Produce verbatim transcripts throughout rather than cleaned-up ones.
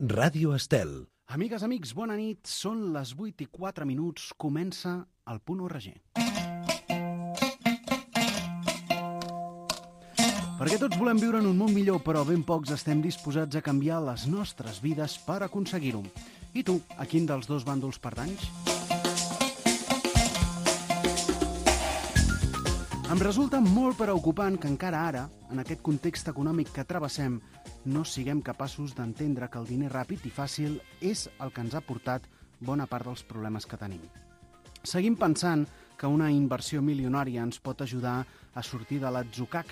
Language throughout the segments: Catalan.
Ràdio Estel. Amigues, amics, bona nit. Són les vuit i quatre minuts. Comença el Punt U R G. Perquè tots volem viure en un món millor, però ben pocs estem disposats a canviar les nostres vides per aconseguir-ho. I tu, a quin dels dos bàndols pertanys? Em resulta molt preocupant que encara ara, en aquest context econòmic que travessem, no siguem capaços d'entendre que el diner ràpid i fàcil és el que ens ha portat bona part dels problemes que tenim. Seguim pensant que una inversió milionària ens pot ajudar a sortir de l'atzucac.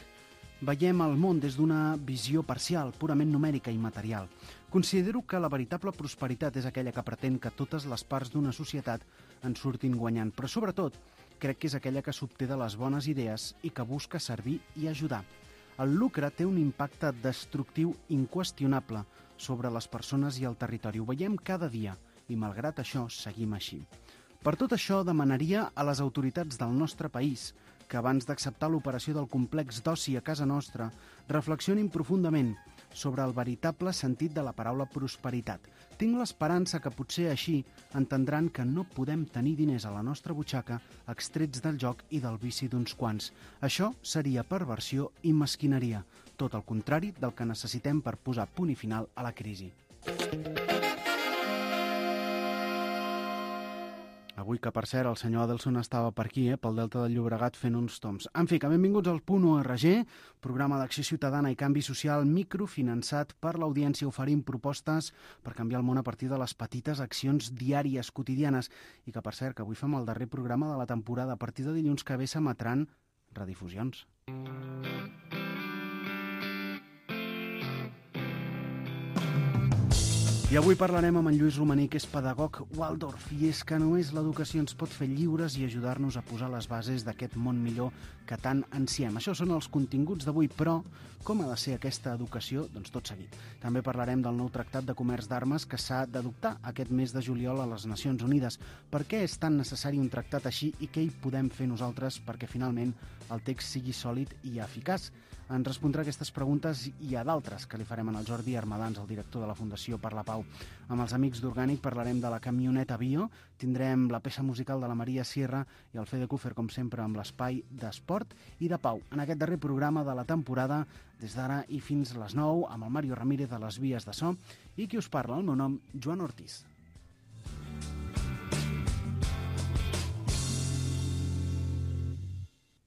Veiem el món des d'una visió parcial, purament numèrica i material. Considero que la veritable prosperitat és aquella que pretén que totes les parts d'una societat en surtin guanyant, però sobretot crec que és aquella que s'obté de les bones idees i que busca servir i ajudar. El lucre té un impacte destructiu inqüestionable sobre les persones i el territori. Ho veiem cada dia i, malgrat això, seguim així. Per tot això, demanaria a les autoritats del nostre país que abans d'acceptar l'operació del complex d'oci a casa nostra, reflexionin profundament sobre el veritable sentit de la paraula prosperitat. Tinc l'esperança que potser així entendran que no podem tenir diners a la nostra butxaca extrets del joc i del vici d'uns quants. Això seria perversió i mesquineria, tot el contrari del que necessitem per posar punt i final a la crisi. Avui, que per cert, el senyor Adelson estava per aquí, eh, pel Delta del Llobregat, fent uns toms. En fi, que benvinguts al Punt U R G, programa d'acció ciutadana i canvi social microfinançat per l'audiència, oferint propostes per canviar el món a partir de les petites accions diàries, quotidianes, i que, per cert, que avui fem el darrer programa de la temporada. A partir de dilluns que ve s'emetran redifusions. I avui parlarem amb en Lluís Romaní, que és pedagog Waldorf, i és que només l'educació ens pot fer lliures i ajudar-nos a posar les bases d'aquest món millor que tant ansiem. Això són els continguts d'avui, però com ha de ser aquesta educació? Doncs tot seguit. També parlarem del nou tractat de comerç d'armes que s'ha d'adoptar aquest mes de juliol a les Nacions Unides. Per què és tan necessari un tractat així i què hi podem fer nosaltres perquè finalment el text sigui sòlid i eficaç? Ens respondrà aquestes preguntes i a d'altres que li farem en el Jordi Armadans, el director de la Fundació per la Pau. Amb els amics d'Orgànic parlarem de la camioneta bio, tindrem la peça musical de la Maria Sierra i el Fede Cúfer, com sempre, amb l'espai d'esport i de pau. En aquest darrer programa de la temporada, des d'ara i fins les nou, amb el Mario Ramírez a les vies de so i qui us parla, el meu nom, Joan Ortiz.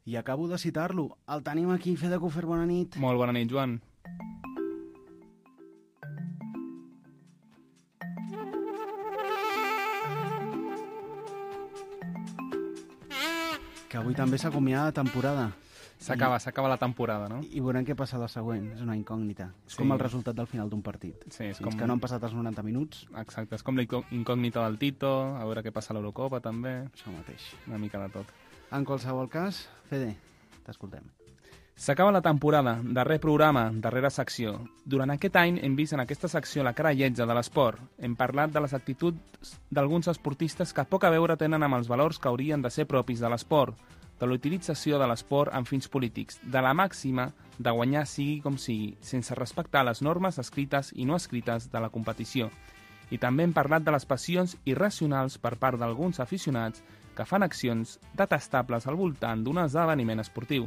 I acabo de citar-lo. El tenim aquí, Fede Cúfer, bona nit. Molt bona nit, Joan. Que avui també s'acomiada la temporada. S'acaba, s'acaba la temporada, no? I veurem què passa la següent. És una incògnita. És Sí. com el resultat del final d'un partit. Sí, és Fins com... que no han passat els noranta minuts, Exacte, és com la incògnita del Tito, a veure què passa a l'Eurocopa, també. això mateix. Una mica de tot. En qualsevol cas, Fede, t'escoltem. S'acaba la temporada, darrer programa, darrera secció. Durant aquest any hem vist en aquesta secció la cara lletja de l'esport. Hem parlat de les actituds d'alguns esportistes que poc a veure tenen amb els valors que haurien de ser propis de l'esport, de l'utilització de l'esport amb fins polítics, de la màxima de guanyar sigui com sigui, sense respectar les normes escrites i no escrites de la competició. I també hem parlat de les passions irracionals per part d'alguns aficionats que fan accions detestables al voltant d'un esdeveniment esportiu.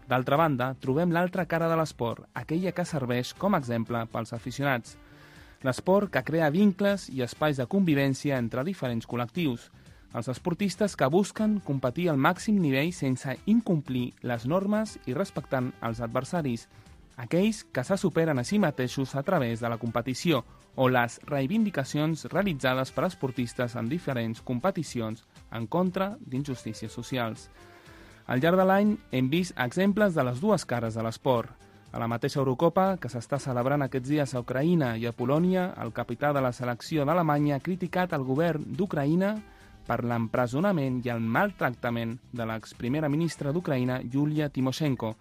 D'altra banda, trobem l'altra cara de l'esport, aquella que serveix com a exemple pels aficionats. L'esport que crea vincles i espais de convivència entre diferents col·lectius. Els esportistes que busquen competir al màxim nivell sense incomplir les normes i respectant els adversaris. Aquells que se superen a si mateixos a través de la competició o les reivindicacions realitzades per esportistes en diferents competicions en contra d'injustícies socials. Al llarg de l'any hem vist exemples de les dues cares de l'esport. A la mateixa Eurocopa, que s'està celebrant aquests dies a Ucraïna i a Polònia, el capità de la selecció d'Alemanya ha criticat el govern d'Ucraïna per l'empresonament i el maltractament de l'exprimera ministra d'Ucraïna, Yulia Tymoshenko.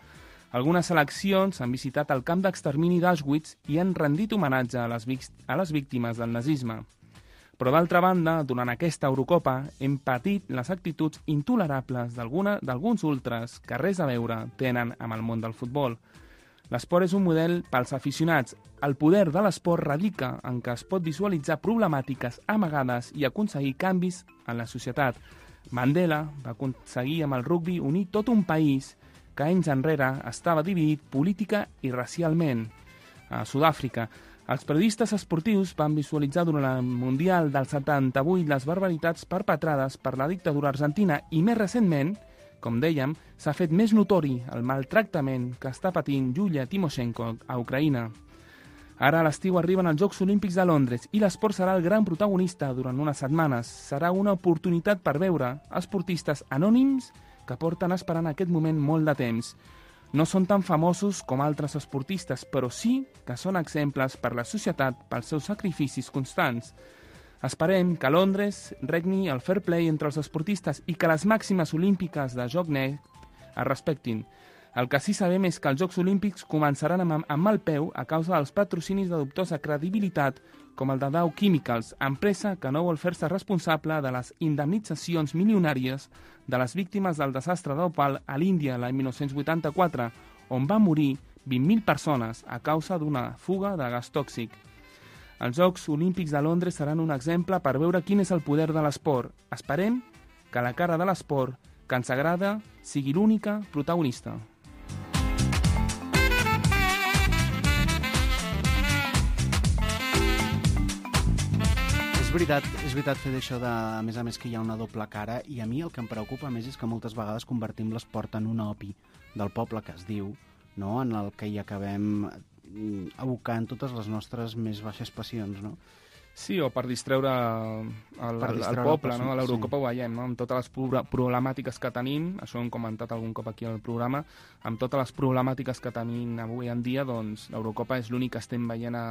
Algunes seleccions han visitat el camp d'extermini d'Auschwitz i han rendit homenatge a les, a les víctimes del nazisme. Però d'altra banda, durant aquesta Eurocopa hem patit les actituds intolerables d'alguns ultres que res a veure tenen amb el món del futbol. L'esport és un model pels aficionats. El poder de l'esport radica en què es pot visualitzar problemàtiques amagades i aconseguir canvis en la societat. Mandela va aconseguir amb el rugbi unir tot un país que anys enrere estava dividit política i racialment. A Sud-àfrica, els periodistes esportius van visualitzar durant el Mundial del setanta-vuit les barbaritats perpetrades per la dictadura argentina i, més recentment, com dèiem, s'ha fet més notori el maltractament que està patint Yulia Tymoshenko a Ucraïna. Ara a l'estiu arriben els Jocs Olímpics de Londres i l'esport serà el gran protagonista durant unes setmanes. Serà una oportunitat per veure esportistes anònims que porten esperant aquest moment molt de temps. No són tan famosos com altres esportistes, però sí que són exemples per la societat pels seus sacrificis constants. Esperem que a Londres regni el fair play entre els esportistes i que les màximes olímpiques de joc net es respectin. El que sí sabem és que els Jocs Olímpics començaran amb, amb mal peu a causa dels patrocinis de dubtosa credibilitat com el de Dow Chemicals, empresa que no vol fer-se responsable de les indemnitzacions milionàries de les víctimes del desastre d'Opal a l'Índia l'any dinou vuitanta-quatre, on van morir vint mil persones a causa d'una fuga de gas tòxic. Els Jocs Olímpics de Londres seran un exemple per veure quin és el poder de l'esport. Esperem que la cara de l'esport, que ens agrada, sigui l'única protagonista. És veritat, és veritat fer d'això de, a més a més, que hi ha una doble cara, i a mi el que em preocupa més és que moltes vegades convertim l'esport en un opi del poble que es diu, no? En el que hi acabem abocant totes les nostres més baixes passions, no? Sí, o per distreure el, per el, distreure el poble, el no? A l'Eurocopa sí. Ho veiem, no? Amb totes les pro problemàtiques que tenim, això ho hem comentat algun cop aquí al programa, amb totes les problemàtiques que tenim avui en dia, doncs l'Eurocopa és l'únic que estem veient a,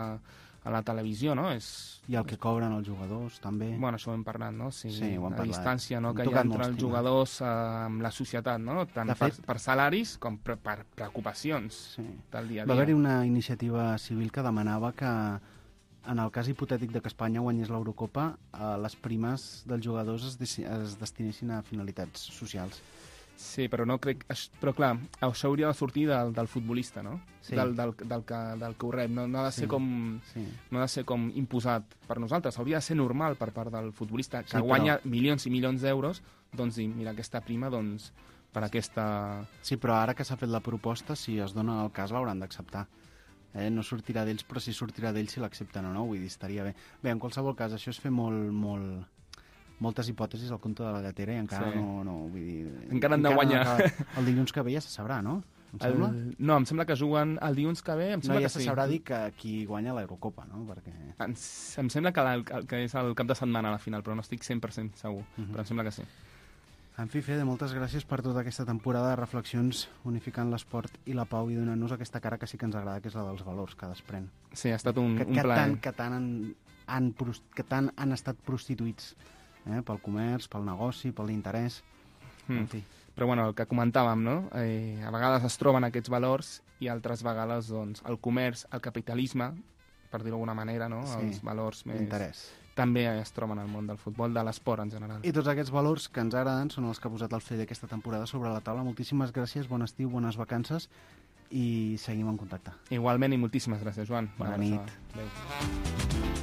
a la televisió, no? És... I el que cobren els jugadors, també. Bueno, això ho hem parlat, no? Sí, sí, ho hem la parlat. distància, no? Hem Que hi ha entre molts els temes. jugadors eh, amb la societat, no? Tant De per, fet- per salaris com per, per preocupacions Sí. del dia a Va dia. haver-hi una iniciativa civil que demanava que, en el cas hipotètic de que Espanya guanyés l'Eurocopa, eh, les primes dels jugadors es, desi- es destinessin a finalitats socials. Sí, però no crec... aix- Però clar, això hauria de sortir del, del futbolista, no? Sí. Del, del, del, que, del que ho rep. No, no, ha de ser Sí. com, Sí. no ha de ser com imposat per nosaltres. Hauria de ser normal per part del futbolista que Sí, però- guanya milions i milions d'euros, doncs dir, mira, aquesta prima, doncs, per aquesta... Sí, però ara que s'ha fet la proposta, si es dona el cas, l'hauran d'acceptar. Eh? No sortirà d'ells, però sí sortirà d'ells si l'accepten o no, vull dir, estaria bé. Bé, en qualsevol cas, això és fer molt, molt, moltes hipòtesis al compte de la gatera i encara Sí. no, no, vull dir... Encara han de guanyar. No acaba. El dilluns que ve ja se sabrà, no? Em sembla? El, no, em sembla que juguen el dilluns que ve. Em No, sembla ja que se sí. sabrà dir que qui guanya l'Eurocopa, no? Perquè... Em, em sembla que, la, que és el cap de setmana a la final, però no estic cent per cent segur. Mhm. Però em sembla que sí. En fi, Fede, moltes gràcies per tota aquesta temporada de reflexions unificant l'esport i la pau i donant-nos aquesta cara que sí que ens agrada, que és la dels valors que desprèn. Sí, ha estat un, que, un que, plaer. tant, que, tant han, han, pros- que tant han estat prostituïts eh? Pel comerç, pel negoci, pel interès. Mm. En fi. Però bueno, el que comentàvem, no? Eh, a vegades es troben aquests valors i altres vegades doncs, el comerç, el capitalisme, per dir-ho d'alguna manera, no? Sí, Els valors més... Interès. També es troben al món del futbol, de l'esport en general. I tots aquests valors que ens agraden són els que ha posat el Fede aquesta temporada sobre la taula. Moltíssimes gràcies, bon estiu, bones vacances i seguim en contacte. Igualment i moltíssimes gràcies, Joan. Bona Una nit. abraçada. Adéu.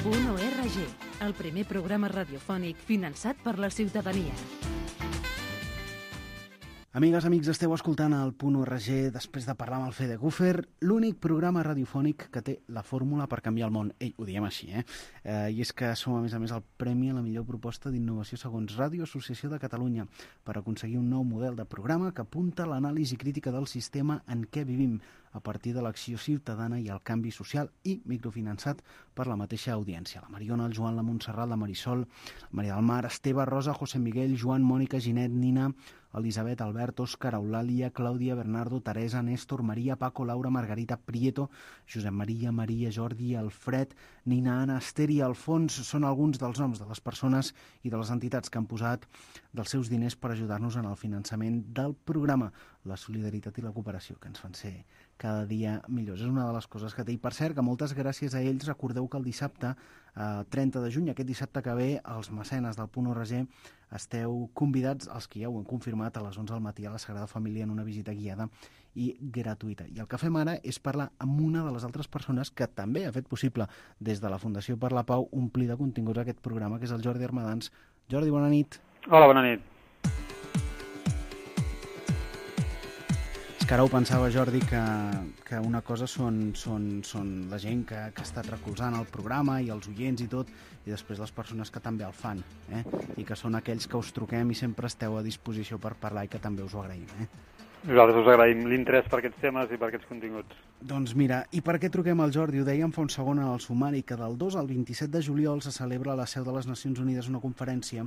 Punt O R G, el primer programa radiofònic finançat per la ciutadania. Amigues, amics, esteu escoltant el Punt O R G després de parlar amb el Fede Gufer, l'únic programa radiofònic que té la fórmula per canviar el món. Ei, ho diem així, eh? eh? I és que som, a més a més, el premi a la millor proposta d'innovació segons Ràdio Associació de Catalunya per aconseguir un nou model de programa que apunta a l'anàlisi crítica del sistema en què vivim a partir de l'acció ciutadana i el canvi social i microfinançat per la mateixa audiència. La Mariona, el Joan, la Montserrat, la Marisol, la Maria del Mar, Esteve, Rosa, José Miguel, Joan, Mònica, Ginet, Nina, Elisabet, Albert, Òscar, Eulàlia, Clàudia, Bernardo, Teresa, Néstor, Maria, Paco, Laura, Margarita, Prieto, Josep Maria, Maria, Jordi, Alfred, Nina, Anna, Esther i Alfons són alguns dels noms de les persones i de les entitats que han posat dels seus diners per ajudar-nos en el finançament del programa, la solidaritat i la cooperació que ens fan ser cada dia millors. És una de les coses que té. I per cert, que moltes gràcies a ells, recordeu que el dissabte, eh, trenta de juny, aquest dissabte que ve, els mecenes del Punt O R G esteu convidats, els que ja ho han confirmat, a les onze del matí a la Sagrada Família en una visita guiada i gratuïta. I el que fem ara és parlar amb una de les altres persones que també ha fet possible des de la Fundació per la Pau omplir de continguts aquest programa, que és el Jordi Armadans. Jordi, bona nit. Hola, bona nit. És que ara ho pensava, Jordi, que, que una cosa són, són, són la gent que, que ha estat recolzant el programa i els oients i tot, i després les persones que també el fan, eh? I que són aquells que us truquem i sempre esteu a disposició per parlar i que també us ho agraïm, eh? Nosaltres us agraïm l'interès per aquests temes i per aquests continguts. Doncs mira, i per què truquem al Jordi? Ho dèiem fa un segon en el sumari, que del dos al vint-i-set de juliol se celebra a la seu de les Nacions Unides una conferència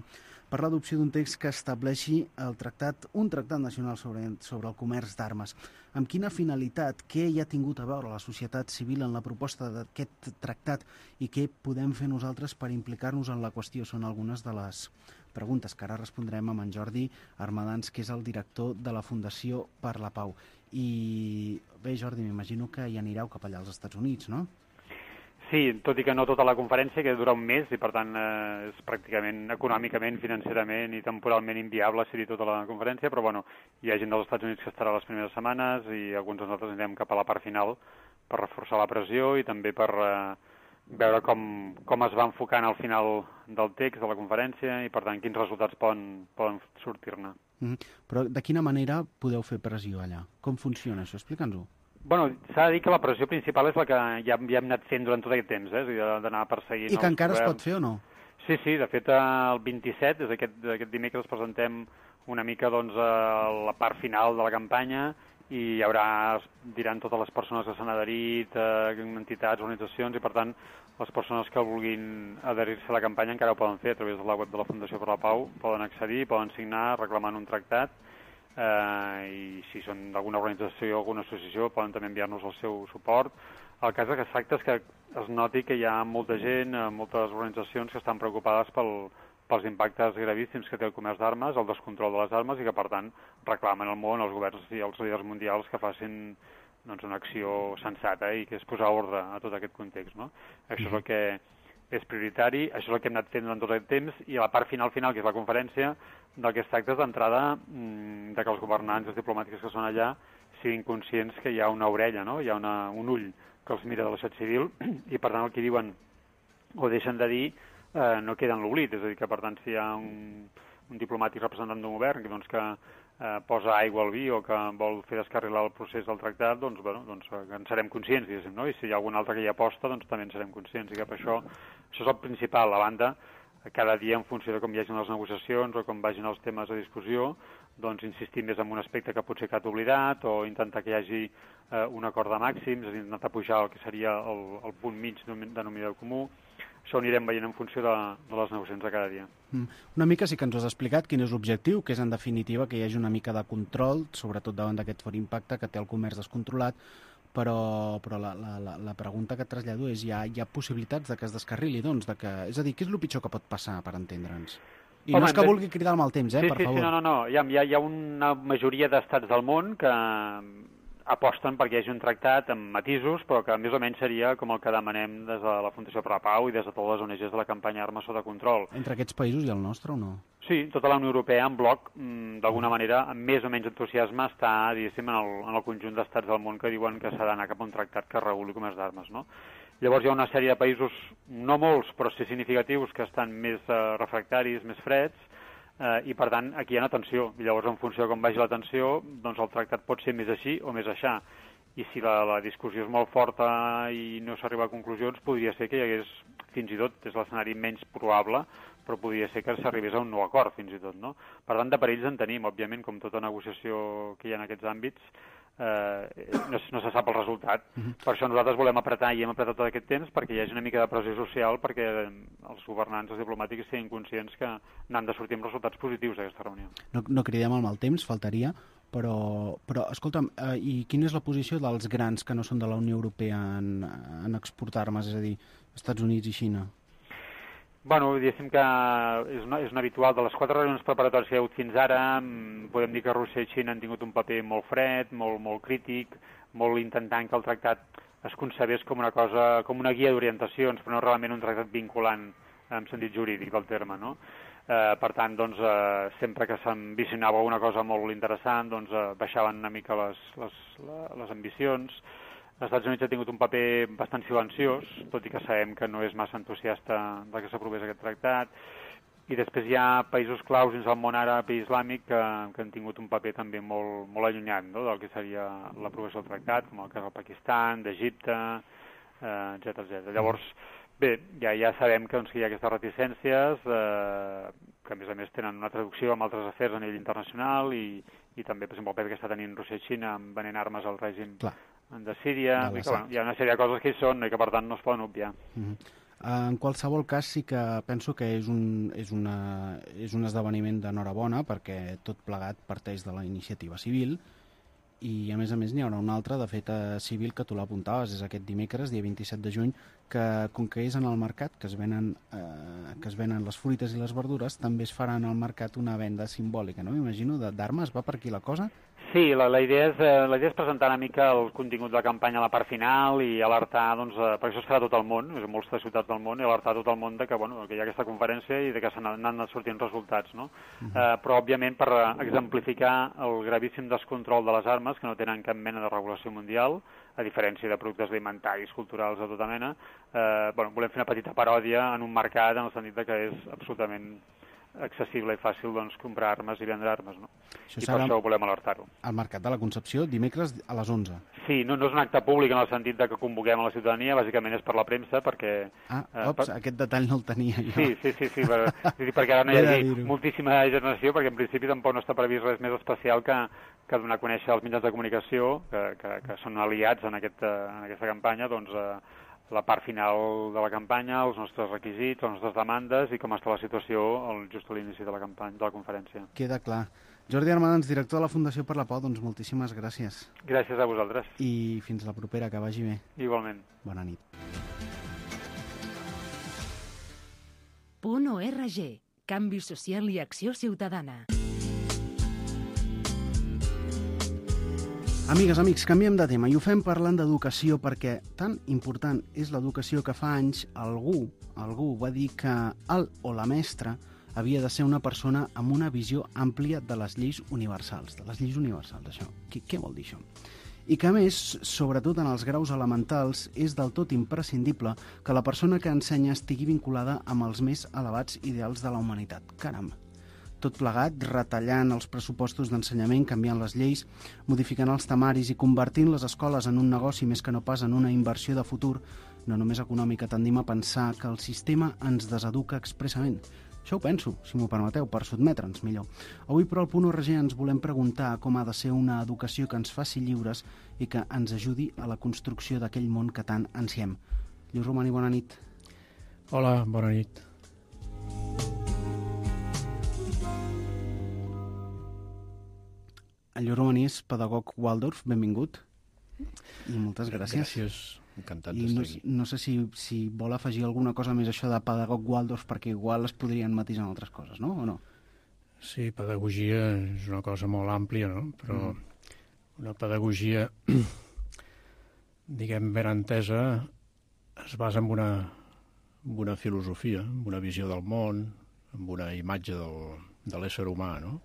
per l'adopció d'un text que estableixi el tractat, un tractat nacional sobre, sobre el comerç d'armes. Amb quina finalitat, què hi ha tingut a veure la societat civil en la proposta d'aquest tractat i què podem fer nosaltres per implicar-nos en la qüestió? Són algunes de les preguntes que ara respondrem amb en Jordi Armadans, que és el director de la Fundació per la Pau. I bé, Jordi, m'imagino que hi anireu cap allà als Estats Units, no? Sí, tot i que no tota la conferència, que dura un mes i per tant eh, és pràcticament econòmicament, financerament i temporalment inviable ser-hi tota la conferència, però bueno, hi ha gent dels Estats Units que estarà les primeres setmanes i alguns de nosaltres anirem cap a la part final per reforçar la pressió i també per eh, veure com, com es va enfocant al final del text de la conferència i per tant quins resultats poden, poden sortir-ne. Mm-hmm. Però de quina manera podeu fer pressió allà? Com funciona això? Explica'ns-ho. Bueno, s'ha de dir que la pressió principal és la que ja, ja hem anat fent durant tot aquest temps, eh? És a dir, d'anar perseguint... I que encara governs. Es pot fer o no? Sí, sí, de fet el vint-i-set, des d'aquest, d'aquest dimecres, presentem una mica doncs, la part final de la campanya i hi haurà, diran totes les persones que s'han adherit, eh, entitats, organitzacions, i per tant les persones que vulguin adherir-se a la campanya encara ho poden fer a través de la web de la Fundació per la Pau, poden accedir, poden signar reclamant un tractat, eh, i si són d'alguna organització o alguna associació poden també enviar-nos el seu suport. El cas que es tracta és que es noti que hi ha molta gent, moltes organitzacions que estan preocupades pel, pels impactes gravíssims que té el comerç d'armes, el descontrol de les armes i que per tant reclamen al món, els governs i els líders mundials que facin doncs, una acció sensata i que és posar ordre a tot aquest context, no? Això és el que és prioritari, això és el que hem anat fent durant tot aquest temps i a la part final final, que és la conferència, del que es tracta és d'entrada de que els governants i els diplomàtics que són allà siguin conscients que hi ha una orella, no? Hi ha una, un ull que els mira de la societat civil i per tant el que diuen o deixen de dir eh, no queda en l'oblit, és a dir que per tant si hi ha un, un diplomàtic representant d'un govern doncs, que eh, posa aigua al vi o que vol fer descarrilar el procés del tractat, doncs, bueno, doncs en serem conscients, diguéssim, no? I si hi ha algun altre que hi aposta, doncs també en serem conscients i que per això, això és el principal, a banda, cada dia en funció de com hi hagin les negociacions o com vagin els temes a discussió, doncs insistir més en un aspecte que potser que ha oblidat o intentar que hi hagi eh, un acord de màxims, és a dir, intentar pujar el que seria el, el punt mig denominador comú. Això ho anirem veient en funció de, de les negociacions de cada dia. Mm. Una mica sí que ens has explicat quin és l'objectiu, que és en definitiva que hi hagi una mica de control, sobretot davant d'aquest fort impacte que té el comerç descontrolat, però, però la, la, la pregunta que et trasllado és, hi ha, hi ha possibilitats de que es descarrili, doncs, de que, és a dir, què és el pitjor que pot passar, per entendre'ns? I Home, no és que vulgui cridar el mal temps, eh, sí, per sí, favor. Sí, no, no, no, hi ha, hi ha, hi ha una majoria d'estats del món que aposten perquè hi hagi un tractat amb matisos, però que més o menys seria com el que demanem des de la Fundació per la Pau i des de totes les O N Ges de la campanya Armes sota control. Entre aquests països i el nostre o no? Sí, tota la Unió Europea en bloc, d'alguna manera, amb més o menys entusiasme, està, diguéssim, en el, en el conjunt d'estats del món que diuen que s'ha d'anar cap a un tractat que reguli comerç d'armes, no? Llavors hi ha una sèrie de països, no molts, però sí significatius, que estan més eh, refractaris, més freds, eh, i per tant aquí hi ha una tensió. I llavors en funció de com vagi la tensió, doncs el tractat pot ser més així o més aixà. I si la, la discussió és molt forta i no s'arriba a conclusions, podria ser que hi hagués, fins i tot, és l'escenari menys probable, però podria ser que s'arribés a un nou acord, fins i tot, no? Per tant, de perills en tenim, òbviament, com tota negociació que hi ha en aquests àmbits, eh, no, no se sap el resultat. Uh-huh. Per això nosaltres volem apretar i hem apretat tot aquest temps perquè hi hagi una mica de pressió social perquè els governants, els diplomàtics, siguin conscients que n'han de sortir amb resultats positius d'aquesta reunió. No, no cridem al mal temps, faltaria, però, però escolta'm, eh, i quina és la posició dels grans que no són de la Unió Europea en, en exportar armes, és a dir, Estats Units i Xina? Bueno, diguéssim que és, una, és un habitual. De les quatre reunions preparatòries que hi ha hagut fins ara, podem dir que Rússia i Xina han tingut un paper molt fred, molt, molt crític, molt intentant que el tractat es concebés com una cosa, com una guia d'orientacions, però no realment un tractat vinculant en sentit jurídic del terme, no? Eh, per tant, doncs, eh, sempre que s'ambicionava una cosa molt interessant, doncs, eh, baixaven una mica les, les, les ambicions. Els Estats Units ha tingut un paper bastant silenciós, tot i que sabem que no és massa entusiasta de que s'aprovés aquest tractat. I després hi ha països claus dins del món àrab i islàmic que, que han tingut un paper també molt, molt allunyat, no?, del que seria l'aprovació del tractat, com el cas del Pakistan, d'Egipte, eh, etcètera, etcètera. Llavors, bé, ja, ja sabem que, doncs, que hi ha aquestes reticències, eh, que a més a més tenen una traducció amb altres afers a nivell internacional i, i també, per exemple, el paper que està tenint Rússia i Xina venent armes al règim Clar. de Síria. De que, bueno, hi ha una sèrie de coses que hi són i que, per tant, no es poden obviar. Mm-hmm. En qualsevol cas, sí que penso que és un, és una, és un esdeveniment d'enhorabona perquè tot plegat parteix de la iniciativa civil i, a més a més, n'hi haurà un altre de fet civil que tu l'apuntaves, és aquest dimecres, dia vint-i-set de juny, que com que és en el mercat, que es venen, eh, que es venen les fruites i les verdures, també es farà en el mercat una venda simbòlica, no? M'imagino, d'armes. Va per aquí la cosa? Sí, la, la, idea és, eh, la idea és presentar una mica el contingut de la campanya a la part final i alertar, doncs, eh, perquè això es farà a tot el món, és en moltes ciutats del món, i alertar tot el món de que, bueno, que hi ha aquesta conferència i de que se n'han sortint resultats, no? Uh-huh. eh, però, òbviament, per exemplificar el gravíssim descontrol de les armes, que no tenen cap mena de regulació mundial, a diferència de productes alimentaris, culturals de tota mena, eh, bueno, volem fer una petita paròdia en un mercat en el sentit de que és absolutament accessible i fàcil, doncs, comprar armes i vendre armes, no? Això I per això volem alertar-ho. Al Mercat de la Concepció, dimecres a les onze. Sí, no, no és un acte públic en el sentit de que convoquem a la ciutadania, bàsicament és per la premsa, perquè... Ah, eh, ops, per... aquest detall no el tenia jo. Sí, sí, sí, sí, per, sí perquè ara no hi hagi moltíssima generació, perquè en principi tampoc no està previst res més especial que, que donar a conèixer als mitjans de comunicació, que, que, que són aliats en, aquest, en aquesta campanya, doncs, eh, la part final de la campanya, els nostres requisits, les nostres demandes i com està la situació just a l'inici de la campanya, de la conferència. Queda clar. Jordi Armadans, director de la Fundació per la Pau, doncs moltíssimes gràcies. Gràcies a vosaltres. I fins la propera, que vagi bé. Igualment. Bona nit. Punt org. Canvi social i acció ciutadana. Amigues, amics, canviem de tema i ho fem parlant d'educació perquè tan important és l'educació que fa anys algú, algú va dir que el o la mestra havia de ser una persona amb una visió àmplia de les lleis universals, de les lleis universals, això. Què, què vol dir això? I que, a més, sobretot en els graus elementals, és del tot imprescindible que la persona que ensenya estigui vinculada amb els més elevats ideals de la humanitat. Caram! Tot plegat, retallant els pressupostos d'ensenyament, canviant les lleis, modificant els temaris i convertint les escoles en un negoci més que no pas en una inversió de futur, no només econòmica, tendim a pensar que el sistema ens deseduca expressament. Això ho penso, si m'ho permeteu, per sotmetre'ns millor. Avui, però, al Punt org ens volem preguntar com ha de ser una educació que ens faci lliures i que ens ajudi a la construcció d'aquell món que tant ansiem. Lluís Romani, bona nit. Hola, bona nit. El Lluís Romani és pedagog Waldorf, benvingut. I moltes gràcies. Gràcies, encantat I d'estar no, aquí. No sé si, si vol afegir alguna cosa més això de pedagog Waldorf, perquè igual es podrien matisar en altres coses, no? O no? Sí, pedagogia és una cosa molt àmplia, no? Però mm. una pedagogia, diguem, ben entesa, es basa en una, en una filosofia, en una visió del món, en una imatge del, de l'ésser humà, no?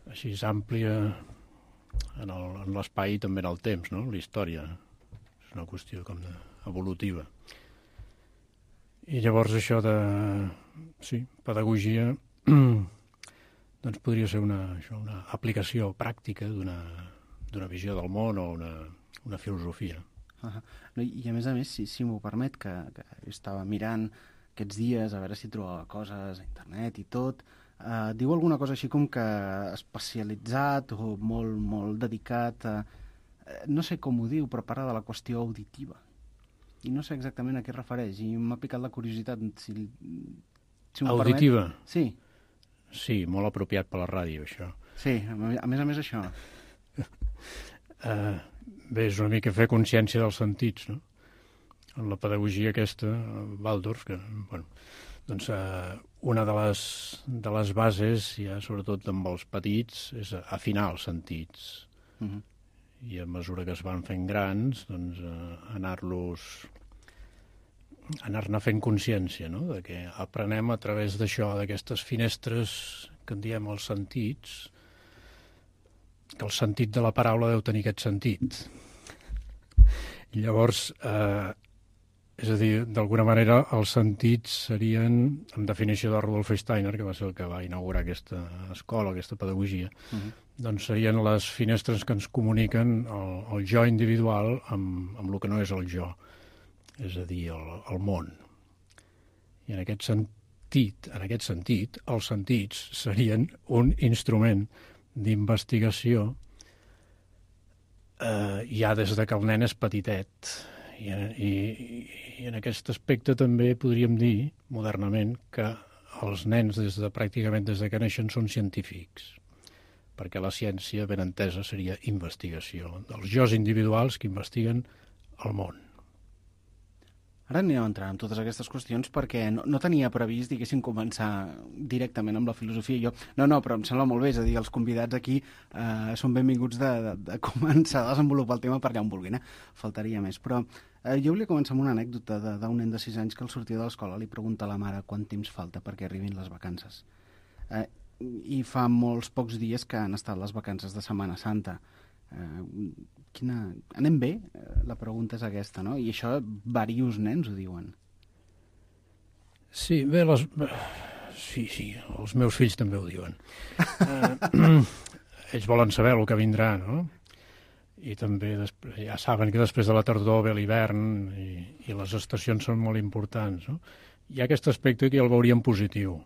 Així és àmplia en l'espai i també en el temps, no? La història és una qüestió com de, evolutiva. I llavors això de, sí, pedagogia, doncs podria ser una, això, una aplicació pràctica d'una d'una visió del món o una, una filosofia. Uh -huh. No, i a més a més, si, si m'ho permet, que, que jo estava mirant aquests dies a veure si trobava coses a internet i tot, Uh, diu alguna cosa així com que especialitzat o molt, molt dedicat a... No sé com ho diu, però parla de la qüestió auditiva. I no sé exactament a què es refereix. I m'ha picat la curiositat. Si, si auditiva? Permet. Sí. Sí, molt apropiat per la ràdio, això. Sí, a més a més això. uh, bé, és una mica fer consciència dels sentits, no? En la pedagogia aquesta, Waldorf, que, bueno... Doncs eh, una de les, de les bases, ja sobretot amb els petits, és afinar els sentits. Uh-huh. i a mesura que es van fent grans, doncs, eh, anar-los anar-ne fent consciència, no? De que aprenem a través d'això, d'aquestes finestres que en diem els sentits, que el sentit de la paraula deu tenir aquest sentit. I llavors, eh, és a dir, d'alguna manera, els sentits serien, en definició de Rudolf Steiner, que va ser el que va inaugurar aquesta escola, aquesta pedagogia, uh-huh. doncs serien les finestres que ens comuniquen el, el jo individual amb, amb el que no és el jo, és a dir, el, el món. I en aquest sentit, en aquest sentit, els sentits serien un instrument d'investigació eh, ja des de que el nen és petitet. I, i, I en aquest aspecte també podríem dir, modernament, que els nens des de, pràcticament des de que neixen són científics, perquè la ciència, ben entesa, seria investigació dels jos individuals que investiguen el món. Ara anirem entrant en totes aquestes qüestions perquè no, no tenia previst, diguéssim, començar directament amb la filosofia. Jo, no, no, però em sembla molt bé, és a dir, els convidats aquí eh, són benvinguts de, de, de començar a desenvolupar el tema per allà on vulguin, eh? Faltaria més. Però eh, jo volia començar amb una anècdota d'un nen de sis anys que al sortir de l'escola li pregunta a la mare quant temps falta perquè arribin les vacances. Eh, I fa molts pocs dies que han estat les vacances de Setmana Santa. Eh, quina... Anem bé? Eh, la pregunta és aquesta, no? I això diversos nens ho diuen. Sí, bé, les... sí, sí, els meus fills també ho diuen. eh, ells volen saber el que vindrà, no? I també després, ja saben que després de la tardor ve l'hivern i, i les estacions són molt importants, no? Hi ha aquest aspecte que el veuríem positiu.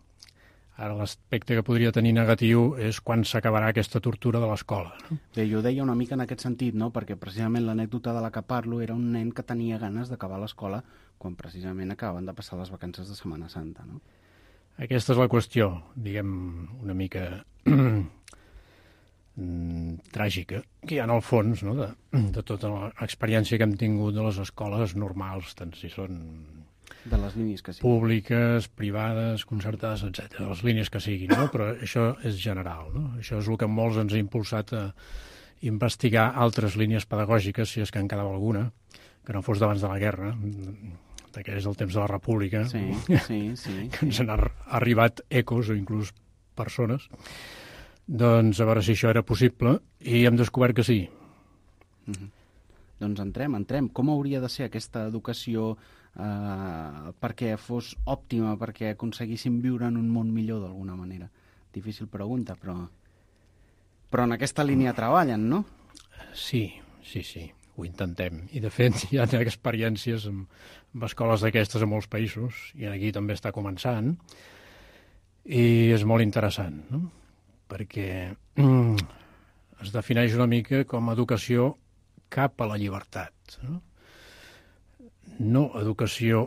Ara l'aspecte que podria tenir negatiu és quan s'acabarà aquesta tortura de l'escola. No? Bé, jo ho deia una mica en aquest sentit, no? Perquè precisament l'anècdota de la que parlo era un nen que tenia ganes d'acabar l'escola quan precisament acabaven de passar les vacances de Setmana Santa, no? Aquesta és la qüestió, diguem, una mica tràgica, que hi ha en el fons, no? de, de tota l'experiència que hem tingut de les escoles normals, tant si són de les línies que siguin. Públiques, privades, concertades, etcètera. Les línies que siguin, no? Però això és general, no? Això és el que molts ens ha impulsat a investigar altres línies pedagògiques, si és que en quedava alguna, que no fos d'abans de la guerra, que és el temps de la República, sí, sí, sí, que ens han arribat ecos o inclús persones. Doncs a veure si això era possible, i hem descobert que sí. Mm-hmm. Doncs entrem, entrem. Com hauria de ser aquesta educació Uh, perquè fos òptima, perquè aconseguissin viure en un món millor d'alguna manera? Difícil pregunta, però però en aquesta línia treballen, no? Sí, sí, sí, ho intentem. I de fet hi ha experiències amb, amb escoles d'aquestes a molts països, i aquí també està començant, i és molt interessant, no? Perquè mm, es defineix una mica com a educació cap a la llibertat, no? No educació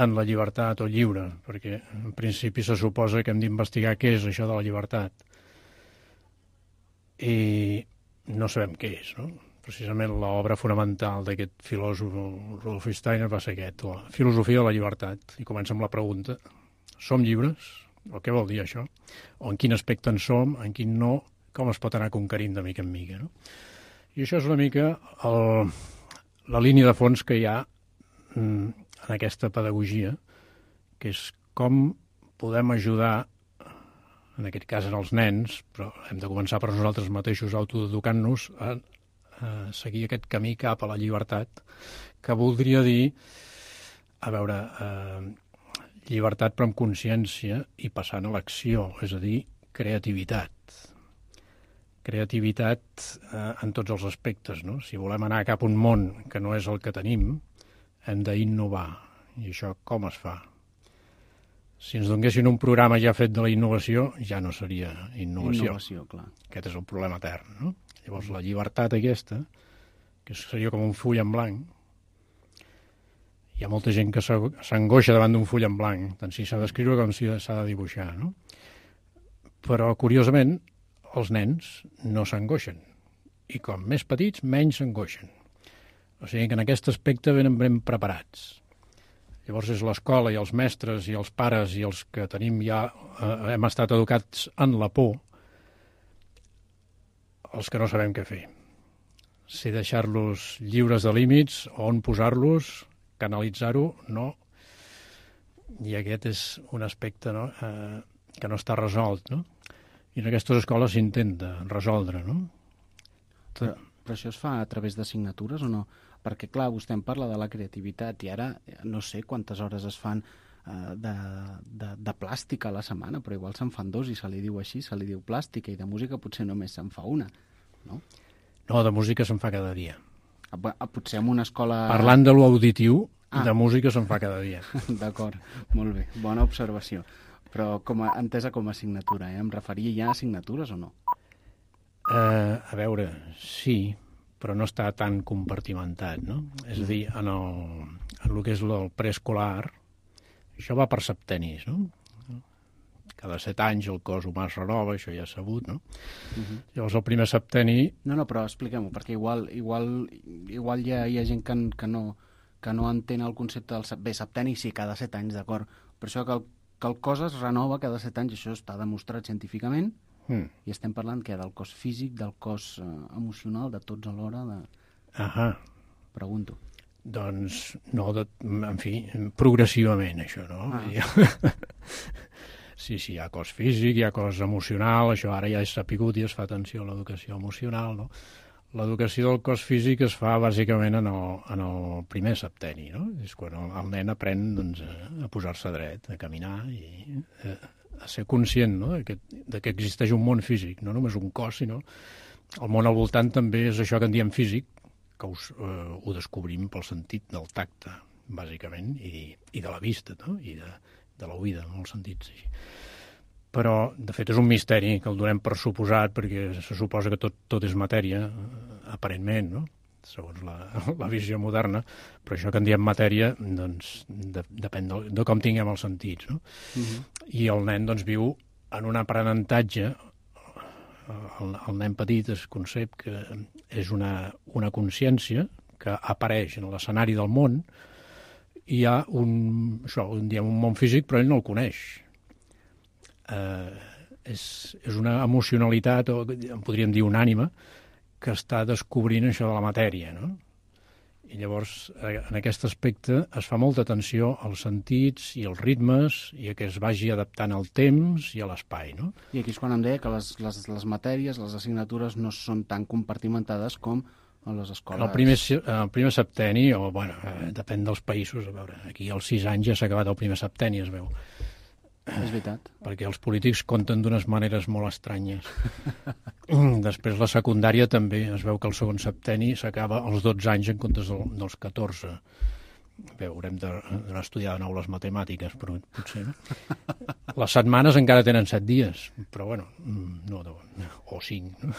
en la llibertat o lliure, perquè en principi se suposa que hem d'investigar què és això de la llibertat. I no sabem què és, no? Precisament l'obra fonamental d'aquest filòsof Rudolf Steiner va ser aquest, la filosofia de la llibertat. I comença amb la pregunta, som lliures? O què vol dir això? O en quin aspecte en som, en quin no, com es pot anar conquerint de mica en mica, no? I això és una mica el, la línia de fons que hi ha en aquesta pedagogia, que és com podem ajudar, en aquest cas en els nens, però hem de començar per nosaltres mateixos autoeducant-nos a, a seguir aquest camí cap a la llibertat, que voldria dir, a veure, eh, llibertat però amb consciència i passant a l'acció, és a dir, creativitat. Creativitat eh, en tots els aspectes, no? Si volem anar cap a un món que no és el que tenim, hem d'innovar. I això com es fa? Si ens donguessin un programa ja fet de la innovació, ja no seria innovació. Innovació, clar. Aquest és el problema etern, no? Llavors, la llibertat aquesta, que seria com un full en blanc, hi ha molta gent que s'angoixa davant d'un full en blanc, tant si s'ha d'escriure com si s'ha de dibuixar, no? Però, curiosament, els nens no s'angoixen. I com més petits, menys s'angoixen. O sigui que en aquest aspecte venen ben preparats. Llavors és l'escola i els mestres i els pares i els que tenim ja, eh, hem estat educats en la por, els que no sabem què fer. sé deixar-los lliures de límits, on posar-los, canalitzar-ho, no. I aquest és un aspecte, no?, eh, que no està resolt, no? I en aquestes escoles s'intenta resoldre, no? Però, però això es fa a través d'assignatures o no? Perquè, clar, vostè em parla de la creativitat i ara no sé quantes hores es fan eh, de, de, de plàstica a la setmana, però igual se'n fan dos i se li diu així, se li diu plàstica, i de música potser només se'n fa una, no? No, de música se'n fa cada dia. A, potser en una escola... Parlant de l'auditiu, ah. de música se'n fa cada dia. D'acord, molt bé, bona observació. Però com a, entesa com a assignatura, eh? Em referia ja a assignatures o no? Uh, a veure, sí, però no està tan compartimentat, no? És a dir, en el, en el que és el preescolar, això va per septenis, no? Cada set anys el cos humà es renova, això ja és sabut, no? Uh-huh. Llavors el primer septeni... No, no, però expliquem-ho, perquè igual, igual, igual hi, ha, hi ha gent que, que, no, que no entén el concepte del... Bé, septeni sí, cada set anys, d'acord, però això que el, que el cos es renova cada set anys, això està demostrat científicament, mm. i estem parlant que del cos físic, del cos eh, emocional, de tots alhora, de... Ahà. Pregunto. Doncs, no, de, en fi, progressivament, això, no? Ah. Sí, sí, hi ha cos físic, hi ha cos emocional, això ara ja és sapigut i es fa atenció a l'educació emocional, no? L'educació del cos físic es fa bàsicament en el, en el primer septeni, no? És quan el, el nen aprèn, doncs, a posar-se dret, a caminar i a, a ser conscient, no?, de que, de que existeix un món físic, no només un cos, sinó el món al voltant també és això que en diem físic, que us, eh, ho descobrim pel sentit del tacte, bàsicament, i, i de la vista, no?, i de, de l'oïda, en molts sentits. Sí. Però, de fet, és un misteri que el donem per suposat, perquè se suposa que tot, tot és matèria, aparentment, no?, segons la, la visió moderna, però això que en diem matèria, doncs, de, depèn de, de com tinguem els sentits, no? Uh-huh. I el nen, doncs, viu en un aprenentatge, el, el nen petit es concep que és una, una consciència que apareix en l'escenari del món, i hi ha un, això, un, diem, un món físic, però ell no el coneix. Eh, és, és una emocionalitat, o en podríem dir una ànima, que està descobrint això de la matèria, no? I llavors, en aquest aspecte, es fa molta atenció als sentits i als ritmes i a que es vagi adaptant al temps i a l'espai, no? I aquí és quan em deia que les, les, les matèries, les assignatures, no són tan compartimentades com a les escoles. El primer, el primer septeni, o, bueno, eh, depèn dels països, a veure, aquí als sis anys ja s'ha acabat el primer septeni, es veu. És veritat. Perquè els polítics compten d'unes maneres molt estranyes. Després la secundària també es veu que el segon septeni s'acaba als dotze anys en comptes del, dels catorze. Bé, haurem d'anar a estudiar de nou les matemàtiques, però potser no. Les setmanes encara tenen set dies, però bueno, no, o cinc, no?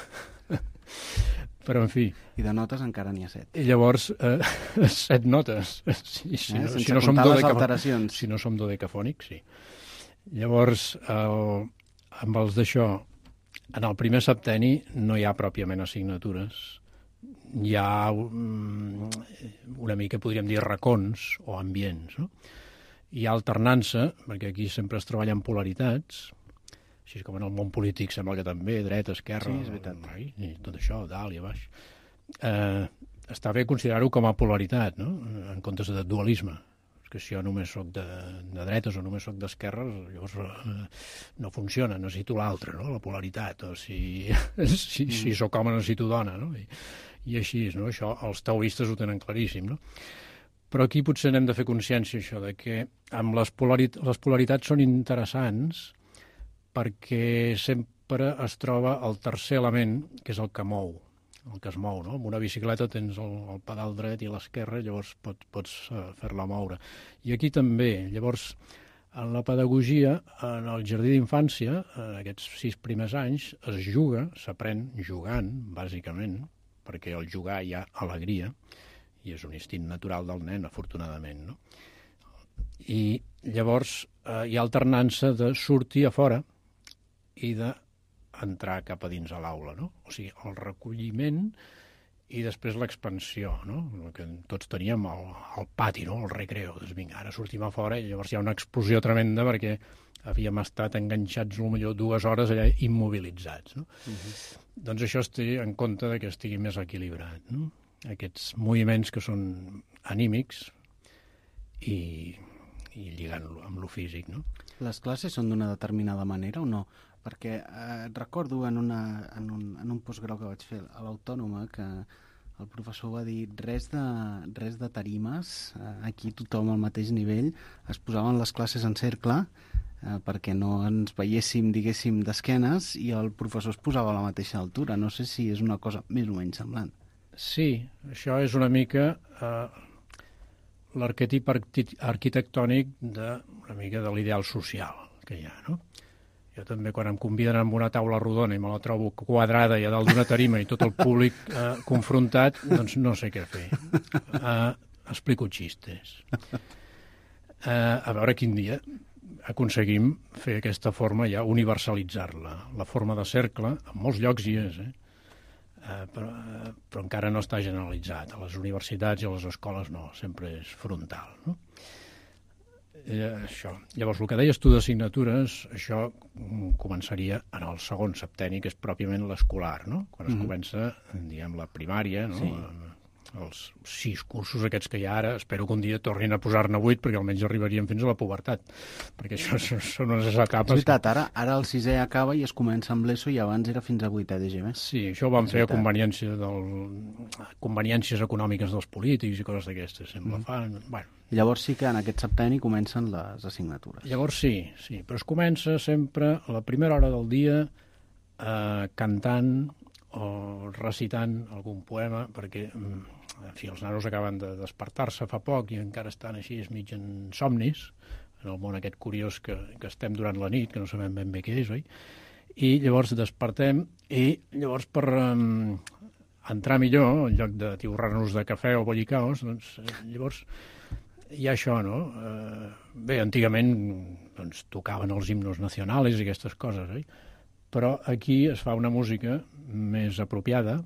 Però en fi. I de notes encara n'hi ha set. I llavors, eh, set notes. Si, si, eh? no, Sense si no comptar som les alteracions. Si no som dodecafònics, sí. Llavors, el, amb els d'això, en el primer septeni no hi ha pròpiament assignatures. Hi ha um, una mica, podríem dir, racons o ambients, no? Hi ha alternança, perquè aquí sempre es treballen polaritats, així com en el món polític sembla que també, dreta, esquerra, sí, és veritat. I tot això, dalt i a baix. Eh, està bé considerar-ho com a polaritat, no?, en comptes de dualisme. Que si jo només soc de, de dretes o només soc d'esquerres, llavors eh, no funciona, necessito l'altre, no?, la polaritat, o si, si, si sóc home necessito dona, no?, I, i així, no?, això els taoistes ho tenen claríssim, no? Però aquí potser n'hem de fer consciència, això, de que amb les, polarit les polaritats són interessants perquè sempre es troba el tercer element, que és el que mou, el que es mou, no? Amb una bicicleta tens el, el pedal dret i l'esquerra, llavors pot, pots uh, fer-la moure. I aquí també, llavors, en la pedagogia, en el jardí d'infància, en aquests sis primers anys, es juga, s'aprèn jugant, bàsicament, perquè al jugar hi ha alegria, i és un instint natural del nen, afortunadament, no? I llavors uh, hi ha alternança de sortir a fora i de entrar cap a dins a l'aula, no? O sigui, el recolliment i després l'expansió, no? El que tots teníem al, al pati, no?, el recreo. Doncs vinga, ara sortim a fora i llavors hi ha una explosió tremenda perquè havíem estat enganxats potser dues hores allà immobilitzats. No? Uh-huh. Doncs això es té en compte de que estigui més equilibrat. No? Aquests moviments que són anímics i, i lligant-lo amb lo físic. No? Les classes són d'una determinada manera o no? Perquè eh, recordo en, una, en, un, en un postgrau que vaig fer a l'Autònoma que el professor va dir res de, res de tarimes, eh, aquí tothom al mateix nivell, es posaven les classes en cercle eh, perquè no ens veiéssim, diguéssim, d'esquenes i el professor es posava a la mateixa altura. No sé si és una cosa més o menys semblant. Sí, això és una mica eh, l'arquetip arquitectònic de, una mica de l'ideal social que hi ha, no? Jo també, quan em conviden a una taula rodona i me la trobo quadrada i a dalt d'una tarima i tot el públic eh, confrontat, doncs no sé què fer. Eh, explico xistes. Eh, a veure quin dia aconseguim fer aquesta forma, ja universalitzar-la. La forma de cercle, en molts llocs hi és, eh? Eh, però, eh, però encara no està generalitzat. A les universitats i a les escoles no, sempre és frontal, no? Eh, això. Llavors, el que deies tu d'assignatures, això començaria en el segon septenni, que és pròpiament l'escolar, no? Quan es mm-hmm. comença, diguem, la primària, no? Sí. Els sis cursos aquests que hi ha ara, espero que un dia tornin a posar-ne vuit, perquè almenys arribaríem fins a la pubertat, perquè això són unes etapes... És veritat, ara, ara el sisè acaba i es comença amb l'ESO i abans era fins a vuitè de G B. Sí, això ho van fer a conveniència del... conveniències econòmiques dels polítics i coses d'aquestes, sembla. Mm. Fan... Bueno. I llavors sí que en aquest septenni comencen les assignatures. Llavors sí, sí, però es comença sempre a la primera hora del dia eh, cantant o recitant algun poema, perquè, en fi, els nanos acaben de despertar-se fa poc i encara estan així mig en somnis, en el món aquest curiós que, que estem durant la nit, que no sabem ben bé què és, oi? I llavors despertem i llavors per um, entrar millor, en lloc de tiurrar-nos de cafè o bollicaos, doncs llavors hi ha això, no? Uh, bé, antigament doncs, tocaven els himnos nacionals i aquestes coses, oi? Però aquí es fa una música més apropiada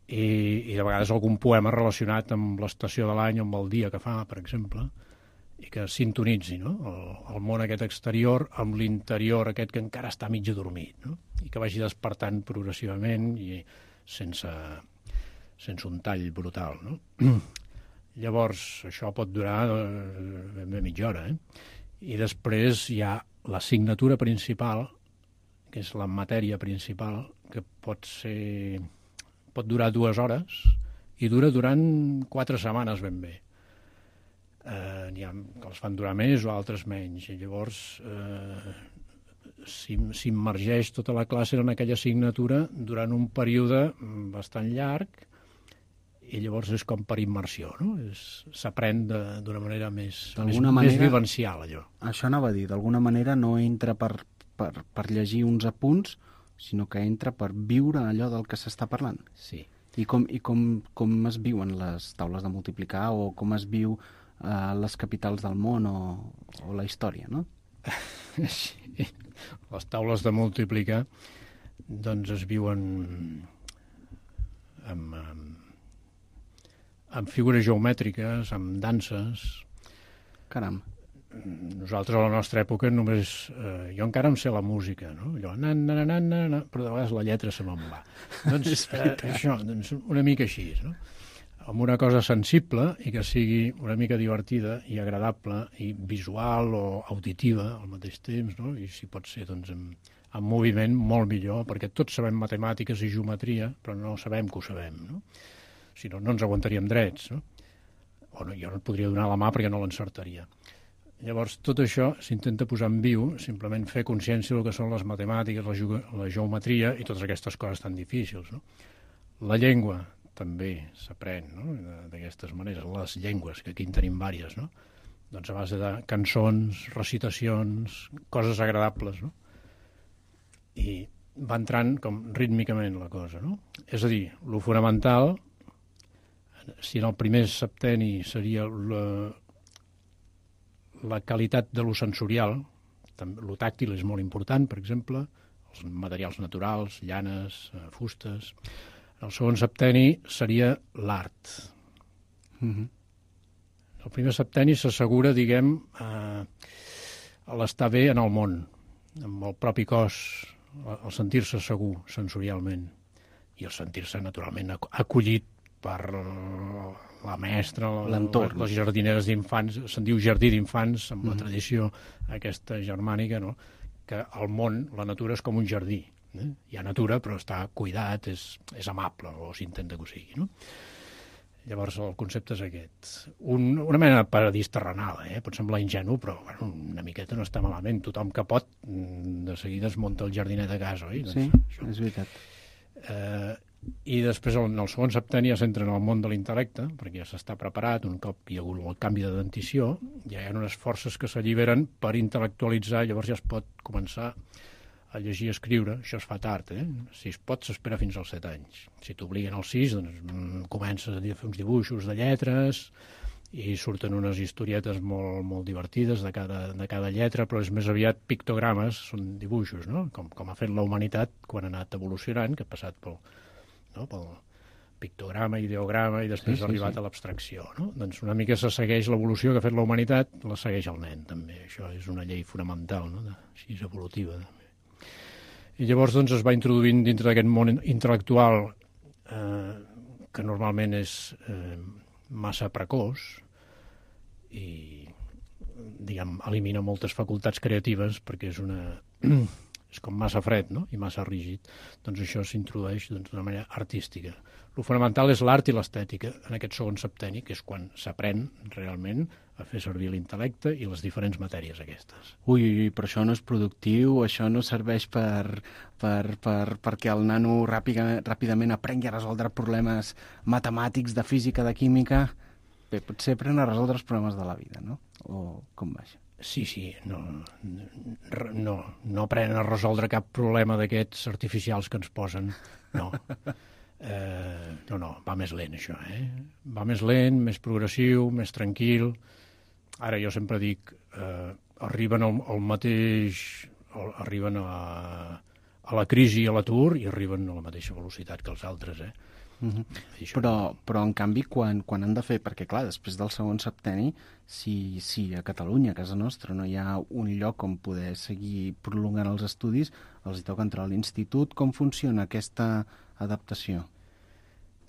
i, i de vegades algun poema relacionat amb l'estació de l'any o amb el dia que fa, per exemple, i que sintonitzi, no? el, el món aquest exterior amb l'interior aquest que encara està mig adormit, no? I que vagi despertant progressivament i sense, sense un tall brutal. No? Llavors, això pot durar ben bé mitja hora, eh? I després hi ha l'assignatura principal, que és la matèria principal, que pot ser... pot durar dues hores i dura durant quatre setmanes ben bé. Eh, n'hi ha que els fan durar més o altres menys. I llavors eh, s'immergeix tota la classe en aquella assignatura durant un període bastant llarg i llavors és com per immersió, no? S'aprèn d'una manera més, més, manera, més vivencial, allò. Això anava a dir, d'alguna manera no entra per... Per, per llegir uns apunts, sinó que entra per viure allò del que s'està parlant. Sí. I com, i com, com es viuen les taules de multiplicar o com es viu eh, les capitals del món o, o la història, no? Sí. Les taules de multiplicar doncs es viuen amb, amb, amb figures geomètriques, amb danses. Caram. Nosaltres a la nostra època només... Eh, jo encara em sé la música, no? Allò, na, na, na, na, na, però de vegades la lletra se me'n va. Doncs eh, això, doncs una mica així, no? Amb una cosa sensible i que sigui una mica divertida i agradable i visual o auditiva al mateix temps, no? I si pot ser, doncs, en, en moviment molt millor, perquè tots sabem matemàtiques i geometria, però no sabem que ho sabem, no? Si no, no ens aguantaríem drets, no? O no, jo no et podria donar la mà perquè no l'encertaria. Llavors, tot això s'intenta posar en viu, simplement fer consciència del que són les matemàtiques, la, la geometria i totes aquestes coses tan difícils, no? La llengua també s'aprèn, no? D'aquestes maneres, les llengües, que aquí en tenim vàries, no? Doncs a base de cançons, recitacions, coses agradables, no? I va entrant com rítmicament la cosa, no? És a dir, lo fonamental, si en el primer septenni seria la... la qualitat de lo sensorial, lo tàctil és molt important, per exemple, els materials naturals, llanes, fustes. El segon septenni seria l'art. Mm-hmm. El primer septenni s'assegura, diguem, eh, l'estar bé en el món, amb el propi cos, el sentir-se segur sensorialment i el sentir-se naturalment acollit per la mestra, l'entorn, les jardineres d'infants, se'n diu jardí d'infants, amb la tradició aquesta germànica, no? Que el món, la natura és com un jardí. Eh? Hi ha natura, però està cuidat, és, és amable, o s'intenta que ho sigui. No? Llavors, el concepte és aquest. Un, una mena de paradís terrenal, eh? Pot semblar ingenu, però bueno, una miqueta no està malament. Tothom que pot, de seguida es munta el jardinet a casa, oi? Sí, doncs, això. És veritat. Eh, I després, en el segon septenni, ja s'entra en el món de l'intel·lecte, perquè ja s'està preparat, un cop hi ha hagut el canvi de dentició, ja hi ha unes forces que s'alliberen per intel·lectualitzar, llavors ja es pot començar a llegir i escriure. Això es fa tard, eh? Si es pot, s'espera fins als set anys. Si t'obliguen als sis, doncs comences a fer uns dibuixos de lletres i surten unes historietes molt, molt divertides de cada, de cada lletra, però és més aviat pictogrames, són dibuixos, no? Com, com ha fet la humanitat quan ha anat evolucionant, que ha passat pel, no? pel pictograma, ideograma i després sí, ha arribat sí, sí. a l'abstracció. No? Doncs una mica se segueix l'evolució que ha fet la humanitat, la segueix el nen, també. Això és una llei fonamental, no? De, així és evolutiva, també. I llavors doncs, es va introduint dintre d'aquest món intel·lectual eh, que normalment és eh, massa precoç i diguem, elimina moltes facultats creatives perquè és una és com massa fred, no? I massa rígid. Doncs això s'introdueix doncs, d'una manera artística. El fonamental és l'art i l'estètica en aquest segon septenni, que és quan s'aprèn realment a fer servir l'intel·lecte i les diferents matèries aquestes. Ui, ui, però això no és productiu, això no serveix per, per, per, perquè el nano ràpida, ràpidament aprengui a resoldre problemes matemàtics, de física, de química. Bé, potser aprèn a resoldre els problemes de la vida, no? O com va això? Sí, sí, no, no, no aprenen a resoldre cap problema d'aquests artificials que ens posen, no. Eh, no, no, va més lent això, eh? Va més lent, més progressiu, més tranquil. Ara jo sempre dic, eh, arriben al, al mateix, al, arriben a, a la crisi i a l'atur i arriben a la mateixa velocitat que els altres, eh? Uh-huh. Però, però, en canvi, quan, quan han de fer... Perquè, clar, després del segon septenni, si, si a Catalunya, a casa nostra, no hi ha un lloc on poder seguir prolongant els estudis, els hi toca entrar a l'institut. Com funciona aquesta adaptació?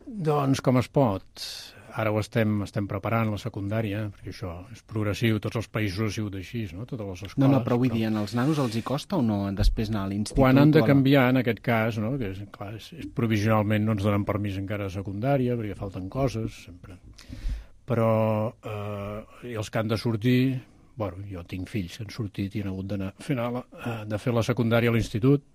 Doncs com es pot. Ara ho estem, estem preparant, la secundària, perquè això és progressiu, tots els països ha sigut així, no? Totes les escoles. No, no, però vull dir, als nanos els hi costa o no després anar a l'institut? Quan han de canviar, en aquest cas, no? Que és, clar, és, és, provisionalment no ens donen permís encara a secundària, perquè falten coses, sempre. Però eh, i els que han de sortir, bueno, jo tinc fills que han sortit i han hagut d'anar fent la, de fer la secundària a l'institut,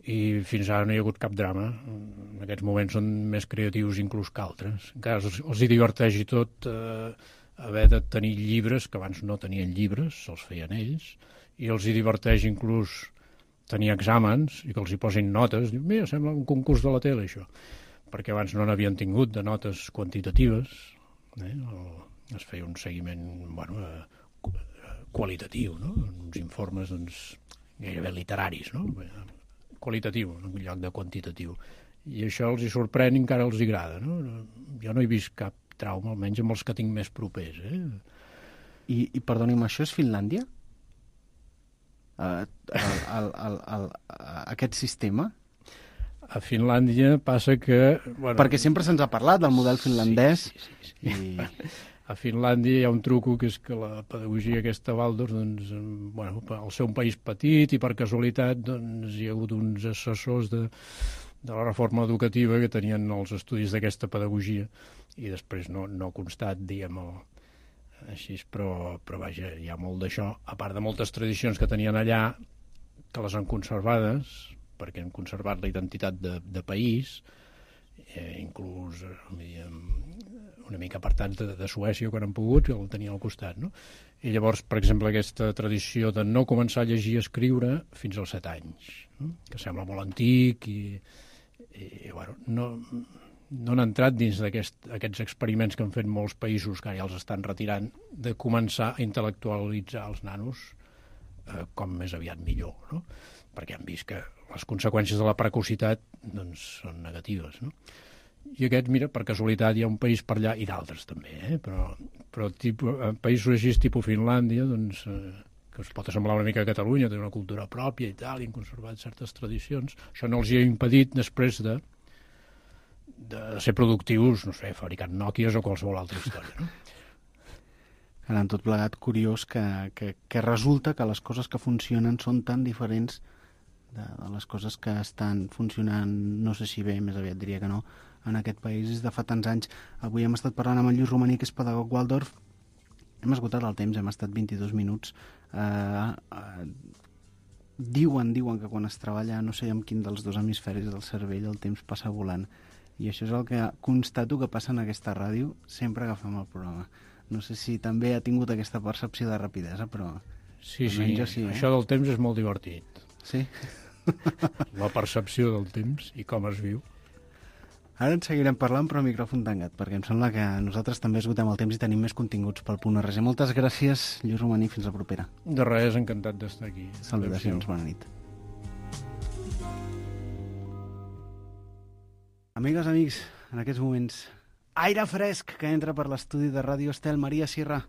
i fins ara no hi ha hagut cap drama. En aquests moments són més creatius inclús que altres. Encara els, els hi diverteix i tot eh, haver de tenir llibres, que abans no tenien llibres, se'ls feien ells, i els hi diverteix inclús tenir exàmens i que els hi posin notes. Diu, mira, sembla un concurs de la tele, això. Perquè abans no n'havien tingut de notes quantitatives, eh? O es feia un seguiment, bueno, eh, qualitatiu, no? Uns informes, doncs, gairebé literaris, no? Qualitatiu, en lloc de quantitatiu. I això els hi sorprèn i encara els hi agrada, no? Jo no he vist cap trauma, almenys amb els que tinc més propers, eh? I, i perdoni'm, això és Finlàndia? Uh, el, el, el, el, aquest sistema? A Finlàndia passa que... Bueno, perquè sempre se'ns ha parlat del model finlandès. Sí, sí, sí, sí. I... A Finlàndia hi ha un truco, que és que la pedagogia aquesta Waldorf, doncs, bueno, al ser un país petit i per casualitat, doncs, hi ha hagut uns assessors de, de la reforma educativa que tenien els estudis d'aquesta pedagogia i després no, no ha constat, diguem, el, així, però, però vaja, hi ha molt d'això, a part de moltes tradicions que tenien allà, que les han conservades, perquè han conservat la identitat de, de país, eh, inclús, diguem, una mica apartats de, de Suècia quan han pogut, que el tenien al costat, no? I llavors, per exemple, aquesta tradició de no començar a llegir i escriure fins als set anys, no? Que sembla molt antic i, i bueno, no, no han entrat dins d'aquests aquest, experiments que han fet molts països, que ja els estan retirant, de començar a intel·lectualitzar els nanos eh, com més aviat millor, no? Perquè han vist que les conseqüències de la precocitat doncs, són negatives, no? I aquest, mira, per casualitat hi ha un país per allà, i d'altres també, eh? però, però tipus, països així, tipus Finlàndia, doncs, eh, que es pot assemblar una mica a Catalunya, té una cultura pròpia i tal, i han conservat certes tradicions. Això no els hi ha impedit després de, de ser productius, no sé, fabricant Nòquies o qualsevol altra història, no? Ara, en tot plegat, curiós que, que, que resulta que les coses que funcionen són tan diferents de, de les coses que estan funcionant, no sé si bé, més aviat diria que no, en aquest país des de fa tants anys. Avui hem estat parlant amb el Lluís Romaní, que és pedagog Waldorf. Hem esgotat el temps, hem estat vint-i-dos minuts. Uh, uh, diuen, diuen que quan es treballa, no sé amb quin dels dos hemisferis del cervell, el temps passa volant. I això és el que constato que passa en aquesta ràdio sempre que fem el programa. No sé si també ha tingut aquesta percepció de rapidesa, però... Sí, sí, sí eh? Això del temps és molt divertit. Sí? La percepció del temps i com es viu. Ara en seguirem parlant, però micròfon tancat, perquè em sembla que nosaltres també esgotem el temps i tenim més continguts pel punt R G. Moltes gràcies, Lluís Romaní, fins la propera. De res, encantat d'estar aquí. Salutacions, bona nit. Amigues, amics, en aquests moments, aire fresc que entra per l'estudi de Ràdio Estel. Maria Sierra,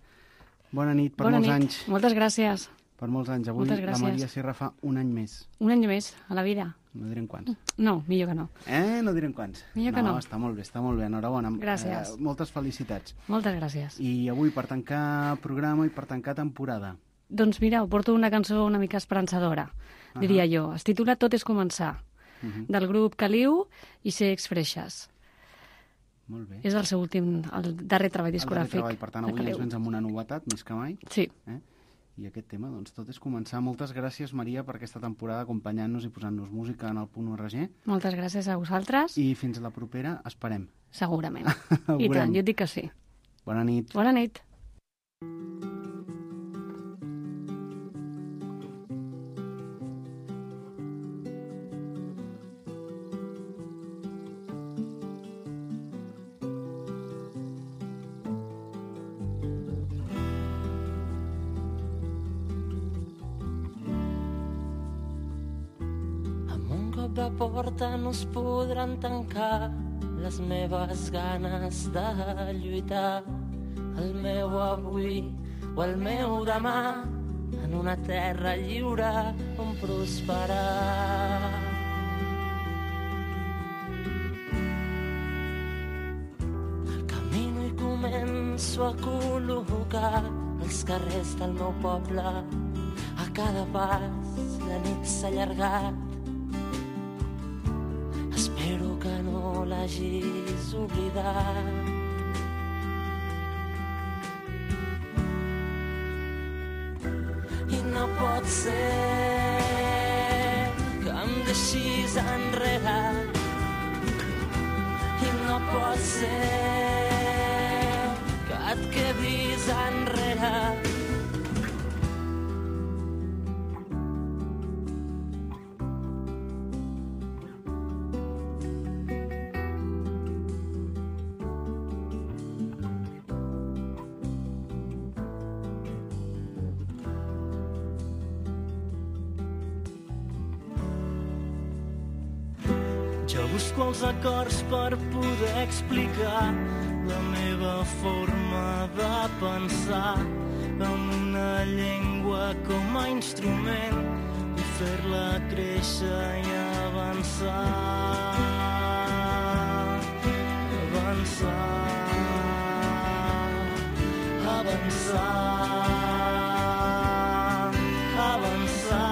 bona nit, per bona molts nit. anys. Moltes gràcies. Per molts anys. Avui la Maria Sierra fa un any més. Un any més, a la vida. No direm quants. No, millor que no. Eh? No direm quants. Millor que no. No, està molt bé, està molt bé. Enhorabona. Gràcies. Eh, moltes felicitats. Moltes gràcies. I avui, per tancar programa i per tancar temporada. Doncs mira, porto una cançó una mica esperançadora, uh-huh. diria jo. Es titula Tot és començar, uh-huh. del grup Caliu i Sex Freixes. Molt bé. És el seu últim, el darrer treball discogràfic. El darrer treball, per tant, avui ens vens amb una novetat, més que mai. Sí. Eh? I aquest tema, doncs, tot és començar. Moltes gràcies, Maria, per aquesta temporada acompanyant-nos i posant-nos música en el punt R G. Moltes gràcies a vosaltres. I fins a la propera, esperem. Segurament. I tant, jo et dic que sí. Bona nit. Bona nit. de porta no es podran tancar les meves ganes de lluitar, el meu avui o el meu demà en una terra lliure on prosperar. Camino i començo a col·locar els carrers del meu poble, a cada pas la nit s'ha allargat. Espero que no l'hagis oblidat. I no pot ser que em deixis enrere. I no pot ser que et quedis enrere. Busco els acords per poder explicar la meva forma de pensar en una llengua com a instrument i fer-la créixer i avançar. Avançar. Avançar. Avançar.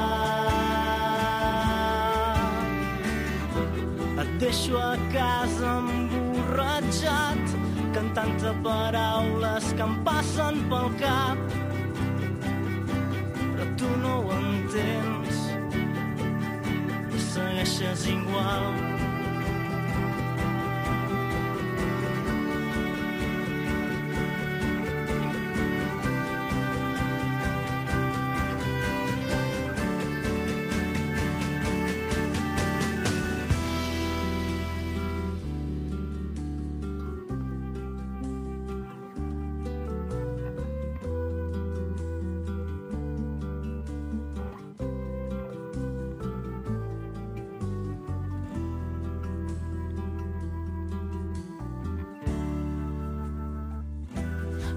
Deixo a casa emborratxat, cantant-te paraules que em passen pel cap. Però tu no ho entens, segueixes igual.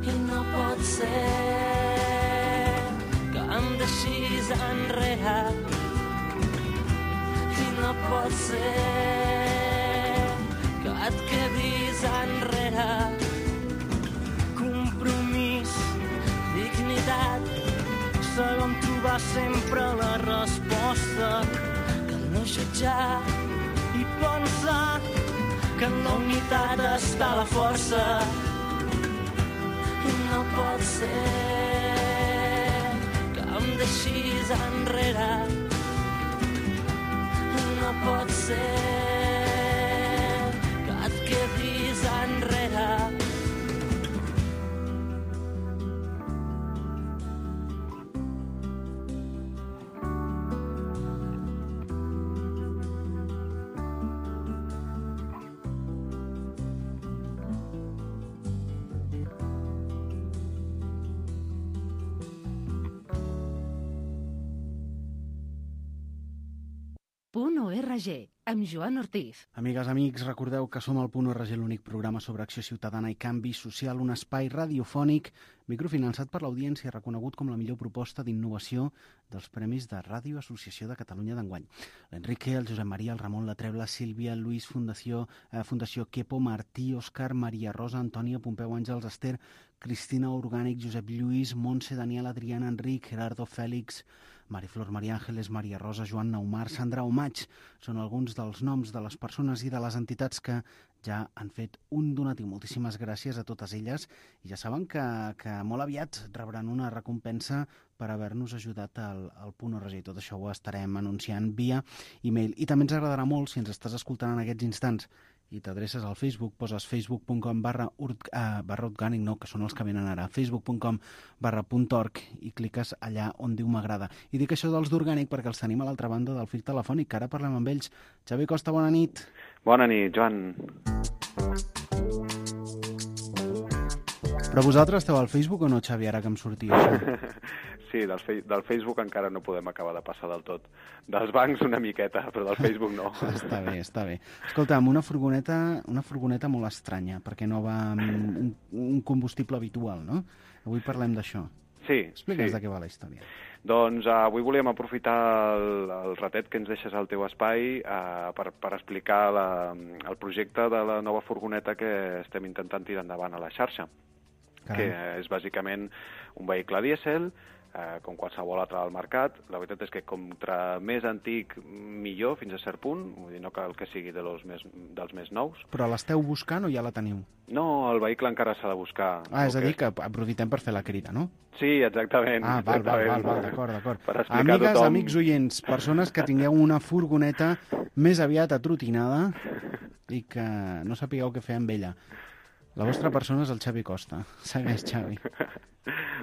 I no pot ser que em deixis enrere i no pot ser que et quedis enrere. Compromís, dignitat, sabem trobar sempre la resposta. Cal no jutjar I pensar que en la unitat està la força. i no pot ser que em deixis enrere. No pot ser que et quedis enrere. Punt O R G, amb Joan Ortiz. Amigues, amics, recordeu que som al Punt O R G, l'únic programa sobre acció ciutadana i canvi social, un espai radiofònic microfinançat per l'audiència i reconegut com la millor proposta d'innovació dels Premis de Ràdio Associació de Catalunya d'enguany. L'Enrique, el Josep Maria, el Ramon, la Trebla, Sílvia, Lluís, Fundació, eh, Fundació Quepo, Martí, Òscar, Maria Rosa, Antònia, Pompeu, Àngels, Esther, Cristina, Orgànic, Josep Lluís, Montse, Daniel, Adriana, Enric, Gerardo, Fèlix, Mariflor, Maria Àngeles, Maria Rosa, Joan Naumar, Sandra Omaig. Són alguns dels noms de les persones i de les entitats que ja han fet un donatiu. Moltíssimes gràcies a totes elles i ja saben que, que molt aviat rebran una recompensa per haver-nos ajudat al, al Punt O R G. Tot això ho estarem anunciant via e-mail. I també ens agradarà molt, si ens estàs escoltant en aquests instants i t'adreces al Facebook, poses facebook punt com barra orgànic, no, que són els que venen ara, facebook punt com barra punt org i cliques allà on diu m'agrada. I dic això dels d'orgànic perquè els tenim a l'altra banda del fil telefònic, que ara parlem amb ells. Xavi Costa, bona nit. Bona nit, Joan. Però vosaltres esteu al Facebook o no, Xavi, ara que em sortia això? Sí, del, fe del Facebook encara no podem acabar de passar del tot. Dels bancs una miqueta, però del Facebook no. Està bé, està bé. Escolta, amb una furgoneta, una furgoneta molt estranya, perquè no va amb un, un combustible habitual, no? Avui parlem d'això. Sí, Explica'ns sí. de què va la història. Doncs uh, avui volíem aprofitar el, el ratet que ens deixes al teu espai uh, per, per explicar la, el projecte de la nova furgoneta que estem intentant tirar endavant a la xarxa. Caram. Que és bàsicament un vehicle dièsel, eh, com qualsevol altre del mercat. La veritat és que contra més antic, millor, fins a cert punt. Vull dir, no cal que sigui de los més, dels més nous. Però l'esteu buscant o ja la teniu? No, el vehicle encara s'ha de buscar. Ah, és a dir, que aprofitem per fer la crida, no? Sí, exactament. Ah, val, exactament. val, val, val, d'acord, d'acord. Per explicar Amigues, a tothom... amics oients, persones que tingueu una furgoneta més aviat atrotinada i que no sapigueu què fer amb ella. La vostra persona és el Xavi Costa. Segueix, Xavi.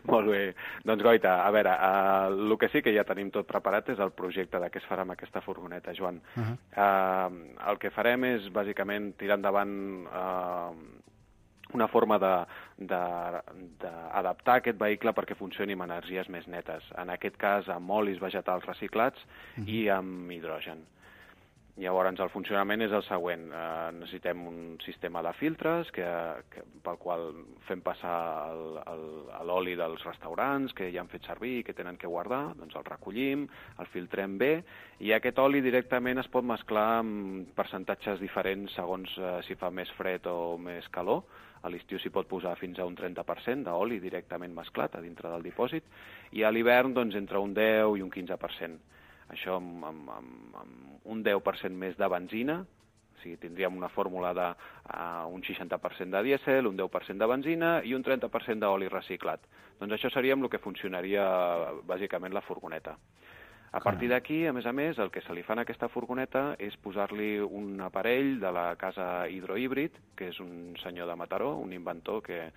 Molt bé. Doncs, Goita, a veure, uh, el que sí que ja tenim tot preparat és el projecte de què es farà amb aquesta furgoneta, Joan. Uh -huh. uh, el que farem és, bàsicament, tirar endavant uh, una forma d'adaptar aquest vehicle perquè funcioni amb energies més netes. En aquest cas, amb olis vegetals reciclats uh -huh. i amb hidrogen. Llavors, el funcionament és el següent. Eh, necessitem un sistema de filtres que, que, pel qual fem passar l'oli dels restaurants que ja han fet servir i que tenen que guardar, doncs el recollim, el filtrem bé, i aquest oli directament es pot mesclar amb percentatges diferents segons eh, si fa més fred o més calor. A l'estiu s'hi pot posar fins a un trenta per cent d'oli directament mesclat a dintre del dipòsit, i a l'hivern doncs, entre un deu i un quinze per cent. Això amb, amb, amb, amb un deu per cent més de benzina, o sigui, tindríem una fórmula de uh, un seixanta per cent de dièsel, un deu per cent de benzina i un trenta per cent d'oli reciclat. Doncs això seria amb el que funcionaria bàsicament la furgoneta. A partir d'aquí, a més a més, el que se li fa a aquesta furgoneta és posar-li un aparell de la casa Hidrohíbrid, que és un senyor de Mataró, un inventor que...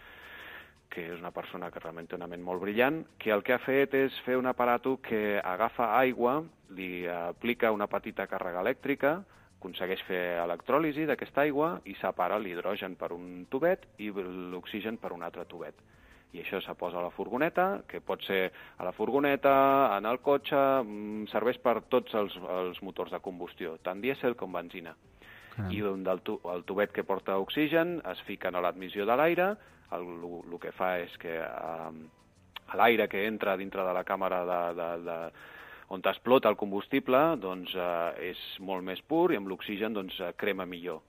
que és una persona que realment té una ment molt brillant, que el que ha fet és fer un aparato que agafa aigua, li aplica una petita càrrega elèctrica, aconsegueix fer electròlisi d'aquesta aigua i separa l'hidrogen per un tubet i l'oxigen per un altre tubet. I això se posa a la furgoneta, que pot ser a la furgoneta, en el cotxe, serveix per tots els, els motors de combustió, tant dièsel com benzina. Caram. I del tu, el tubet que porta oxigen es fiquen a l'admissió de l'aire. El, el que fa és que eh, l'aire que entra dintre de la càmera de, de, de, on explota el combustible doncs, eh, és molt més pur i amb l'oxigen doncs, crema millor.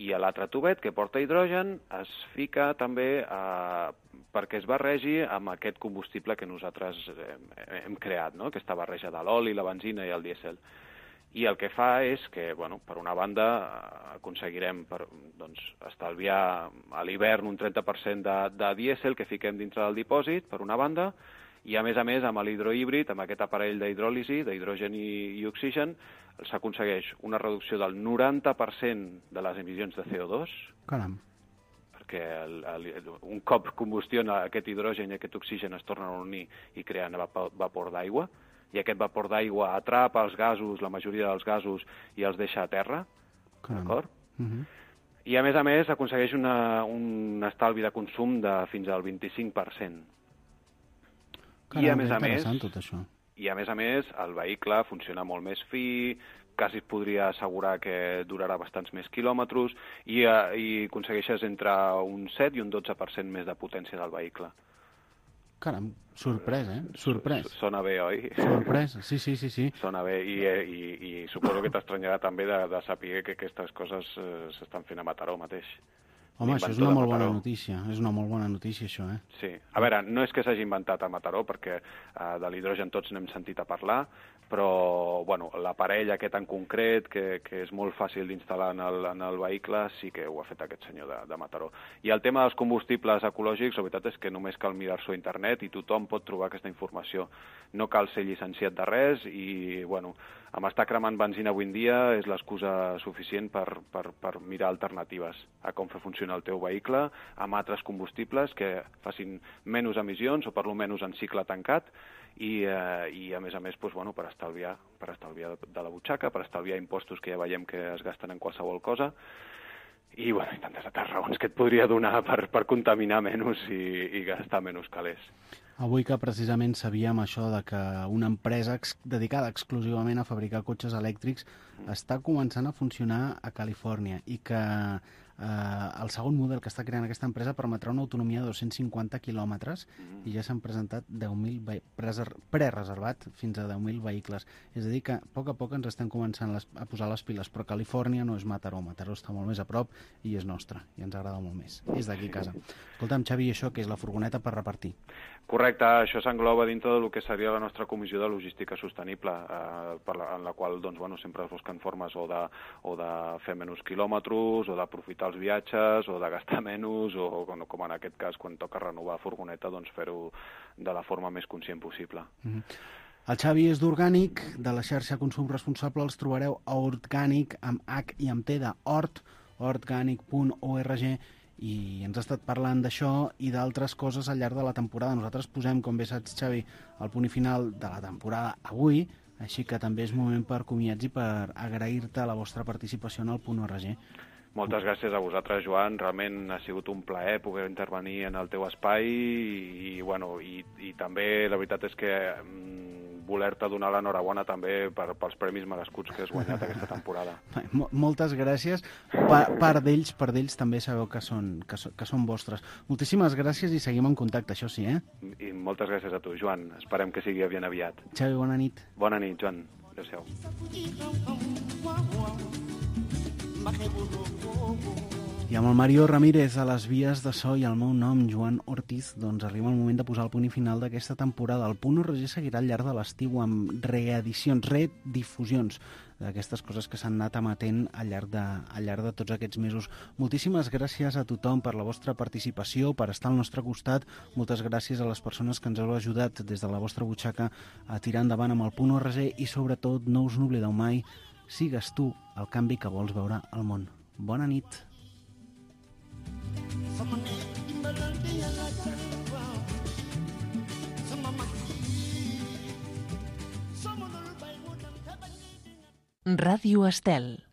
I a l'altre tubet que porta hidrogen es fica també eh, perquè es barregi amb aquest combustible que nosaltres hem, hem creat, no? Aquesta barreja de l'oli, la benzina i el dièsel. I el que fa és que, bueno, per una banda, aconseguirem per, doncs, estalviar a l'hivern un trenta per cent de, de dièsel que fiquem dintre del dipòsit, per una banda, i a més a més amb l'hidrohíbrid, amb aquest aparell d'hidròlisi, d'hidrogen i, i oxigen, s'aconsegueix una reducció del noranta per cent de les emissions de C O dos. Caram. Perquè el, el, un cop combustiona aquest hidrogen i aquest oxigen es tornen a unir i creen vapor d'aigua, i aquest vapor d'aigua atrapa els gasos, la majoria dels gasos, i els deixa a terra, d'acord? Uh -huh. I a més a més aconsegueix una, un estalvi de consum de fins al vint-i-cinc per cent. Caram, I a més a més, tot això. I a més a més, el vehicle funciona molt més fi, quasi es podria assegurar que durarà bastants més quilòmetres i, uh, i aconsegueixes entre un set i un dotze per cent més de potència del vehicle. Caram, sorprès, eh? Sorprès. Sona bé, oi? Sorprès, sí, sí, sí. sí. Sona bé i, i, i suposo que t'estranyarà també de, de saber que aquestes coses eh, s'estan fent a Mataró mateix. Home, això és una molt bona notícia, és una molt bona notícia, això, eh? Sí. A veure, no és que s'hagi inventat a Mataró, perquè eh, de l'hidrogen tots n'hem sentit a parlar, però, bueno, l'aparell aquest en concret, que, que és molt fàcil d'instal·lar en, el, en el vehicle, sí que ho ha fet aquest senyor de, de Mataró. I el tema dels combustibles ecològics, la veritat és que només cal mirar-s'ho a internet i tothom pot trobar aquesta informació. No cal ser llicenciat de res i, bueno, amb estar cremant benzina avui en dia és l'excusa suficient per, per, per mirar alternatives a com fer funcionar el teu vehicle amb altres combustibles que facin menys emissions o per lo menys en cicle tancat i, eh, i a més a més doncs, bueno, per estalviar, per estalviar de la butxaca, per estalviar impostos que ja veiem que es gasten en qualsevol cosa i, bueno, i tantes altres raons que et podria donar per, per contaminar menys i, i gastar menys calés. Avui que precisament sabíem això de que una empresa ex dedicada exclusivament a fabricar cotxes elèctrics està començant a funcionar a Califòrnia i que eh, el segon model que està creant aquesta empresa permetrà una autonomia de dos-cents cinquanta quilòmetres i ja s'han presentat deu mil prereservat fins a deu mil vehicles. És a dir, que a poc a poc ens estem començant les, a posar les piles, però Califòrnia no és Mataró. Mataró està molt més a prop i és nostra, i ens agrada molt més. És d'aquí a casa. Escolta'm, Xavi, això que és la furgoneta per repartir? Correcte, això s'engloba dintre del que seria la nostra comissió de logística sostenible, eh, per la, en la qual doncs, bueno, sempre es busquen formes o de, o de fer menys quilòmetres, o d'aprofitar els viatges, o de gastar menys, o com en aquest cas, quan toca renovar furgoneta, doncs fer-ho de la forma més conscient possible. Mm-hmm. El Xavi és d'Orgànic, de la xarxa Consum Responsable els trobareu a Orgànic, amb H i amb T de Hort, orgànic punt org, i ens ha estat parlant d'això i d'altres coses al llarg de la temporada. Nosaltres posem, com bé saps, Xavi, el punt i final de la temporada avui, així que també és moment per comiats i per agrair-te la vostra participació en el punt org. Moltes gràcies a vosaltres, Joan. Realment ha sigut un plaer poder intervenir en el teu espai i, i, bueno, i, i també la veritat és que mm, voler-te donar l'enhorabona també per, pels premis merescuts que has guanyat aquesta temporada. Moltes gràcies. Pa, part d'ells, part d'ells també sabeu que són, que, so, que són vostres. Moltíssimes gràcies i seguim en contacte, això sí, eh? I moltes gràcies a tu, Joan. Esperem que sigui ben aviat. Xavi, bona nit. Bona nit, Joan. Adéu-siau. I amb el Mario Ramírez a les vies de so i el meu nom, Joan Ortiz, doncs arriba el moment de posar el punt i final d'aquesta temporada. El punt org seguirà al llarg de l'estiu amb reedicions, redifusions d'aquestes coses que s'han anat emetent al llarg, de, al llarg de tots aquests mesos. Moltíssimes gràcies a tothom per la vostra participació, per estar al nostre costat. Moltes gràcies a les persones que ens heu ajudat des de la vostra butxaca a tirar endavant amb el punt org i sobretot no us n'oblideu mai, sigues tu el canvi que vols veure al món. Bona nit. Ràdio Estel.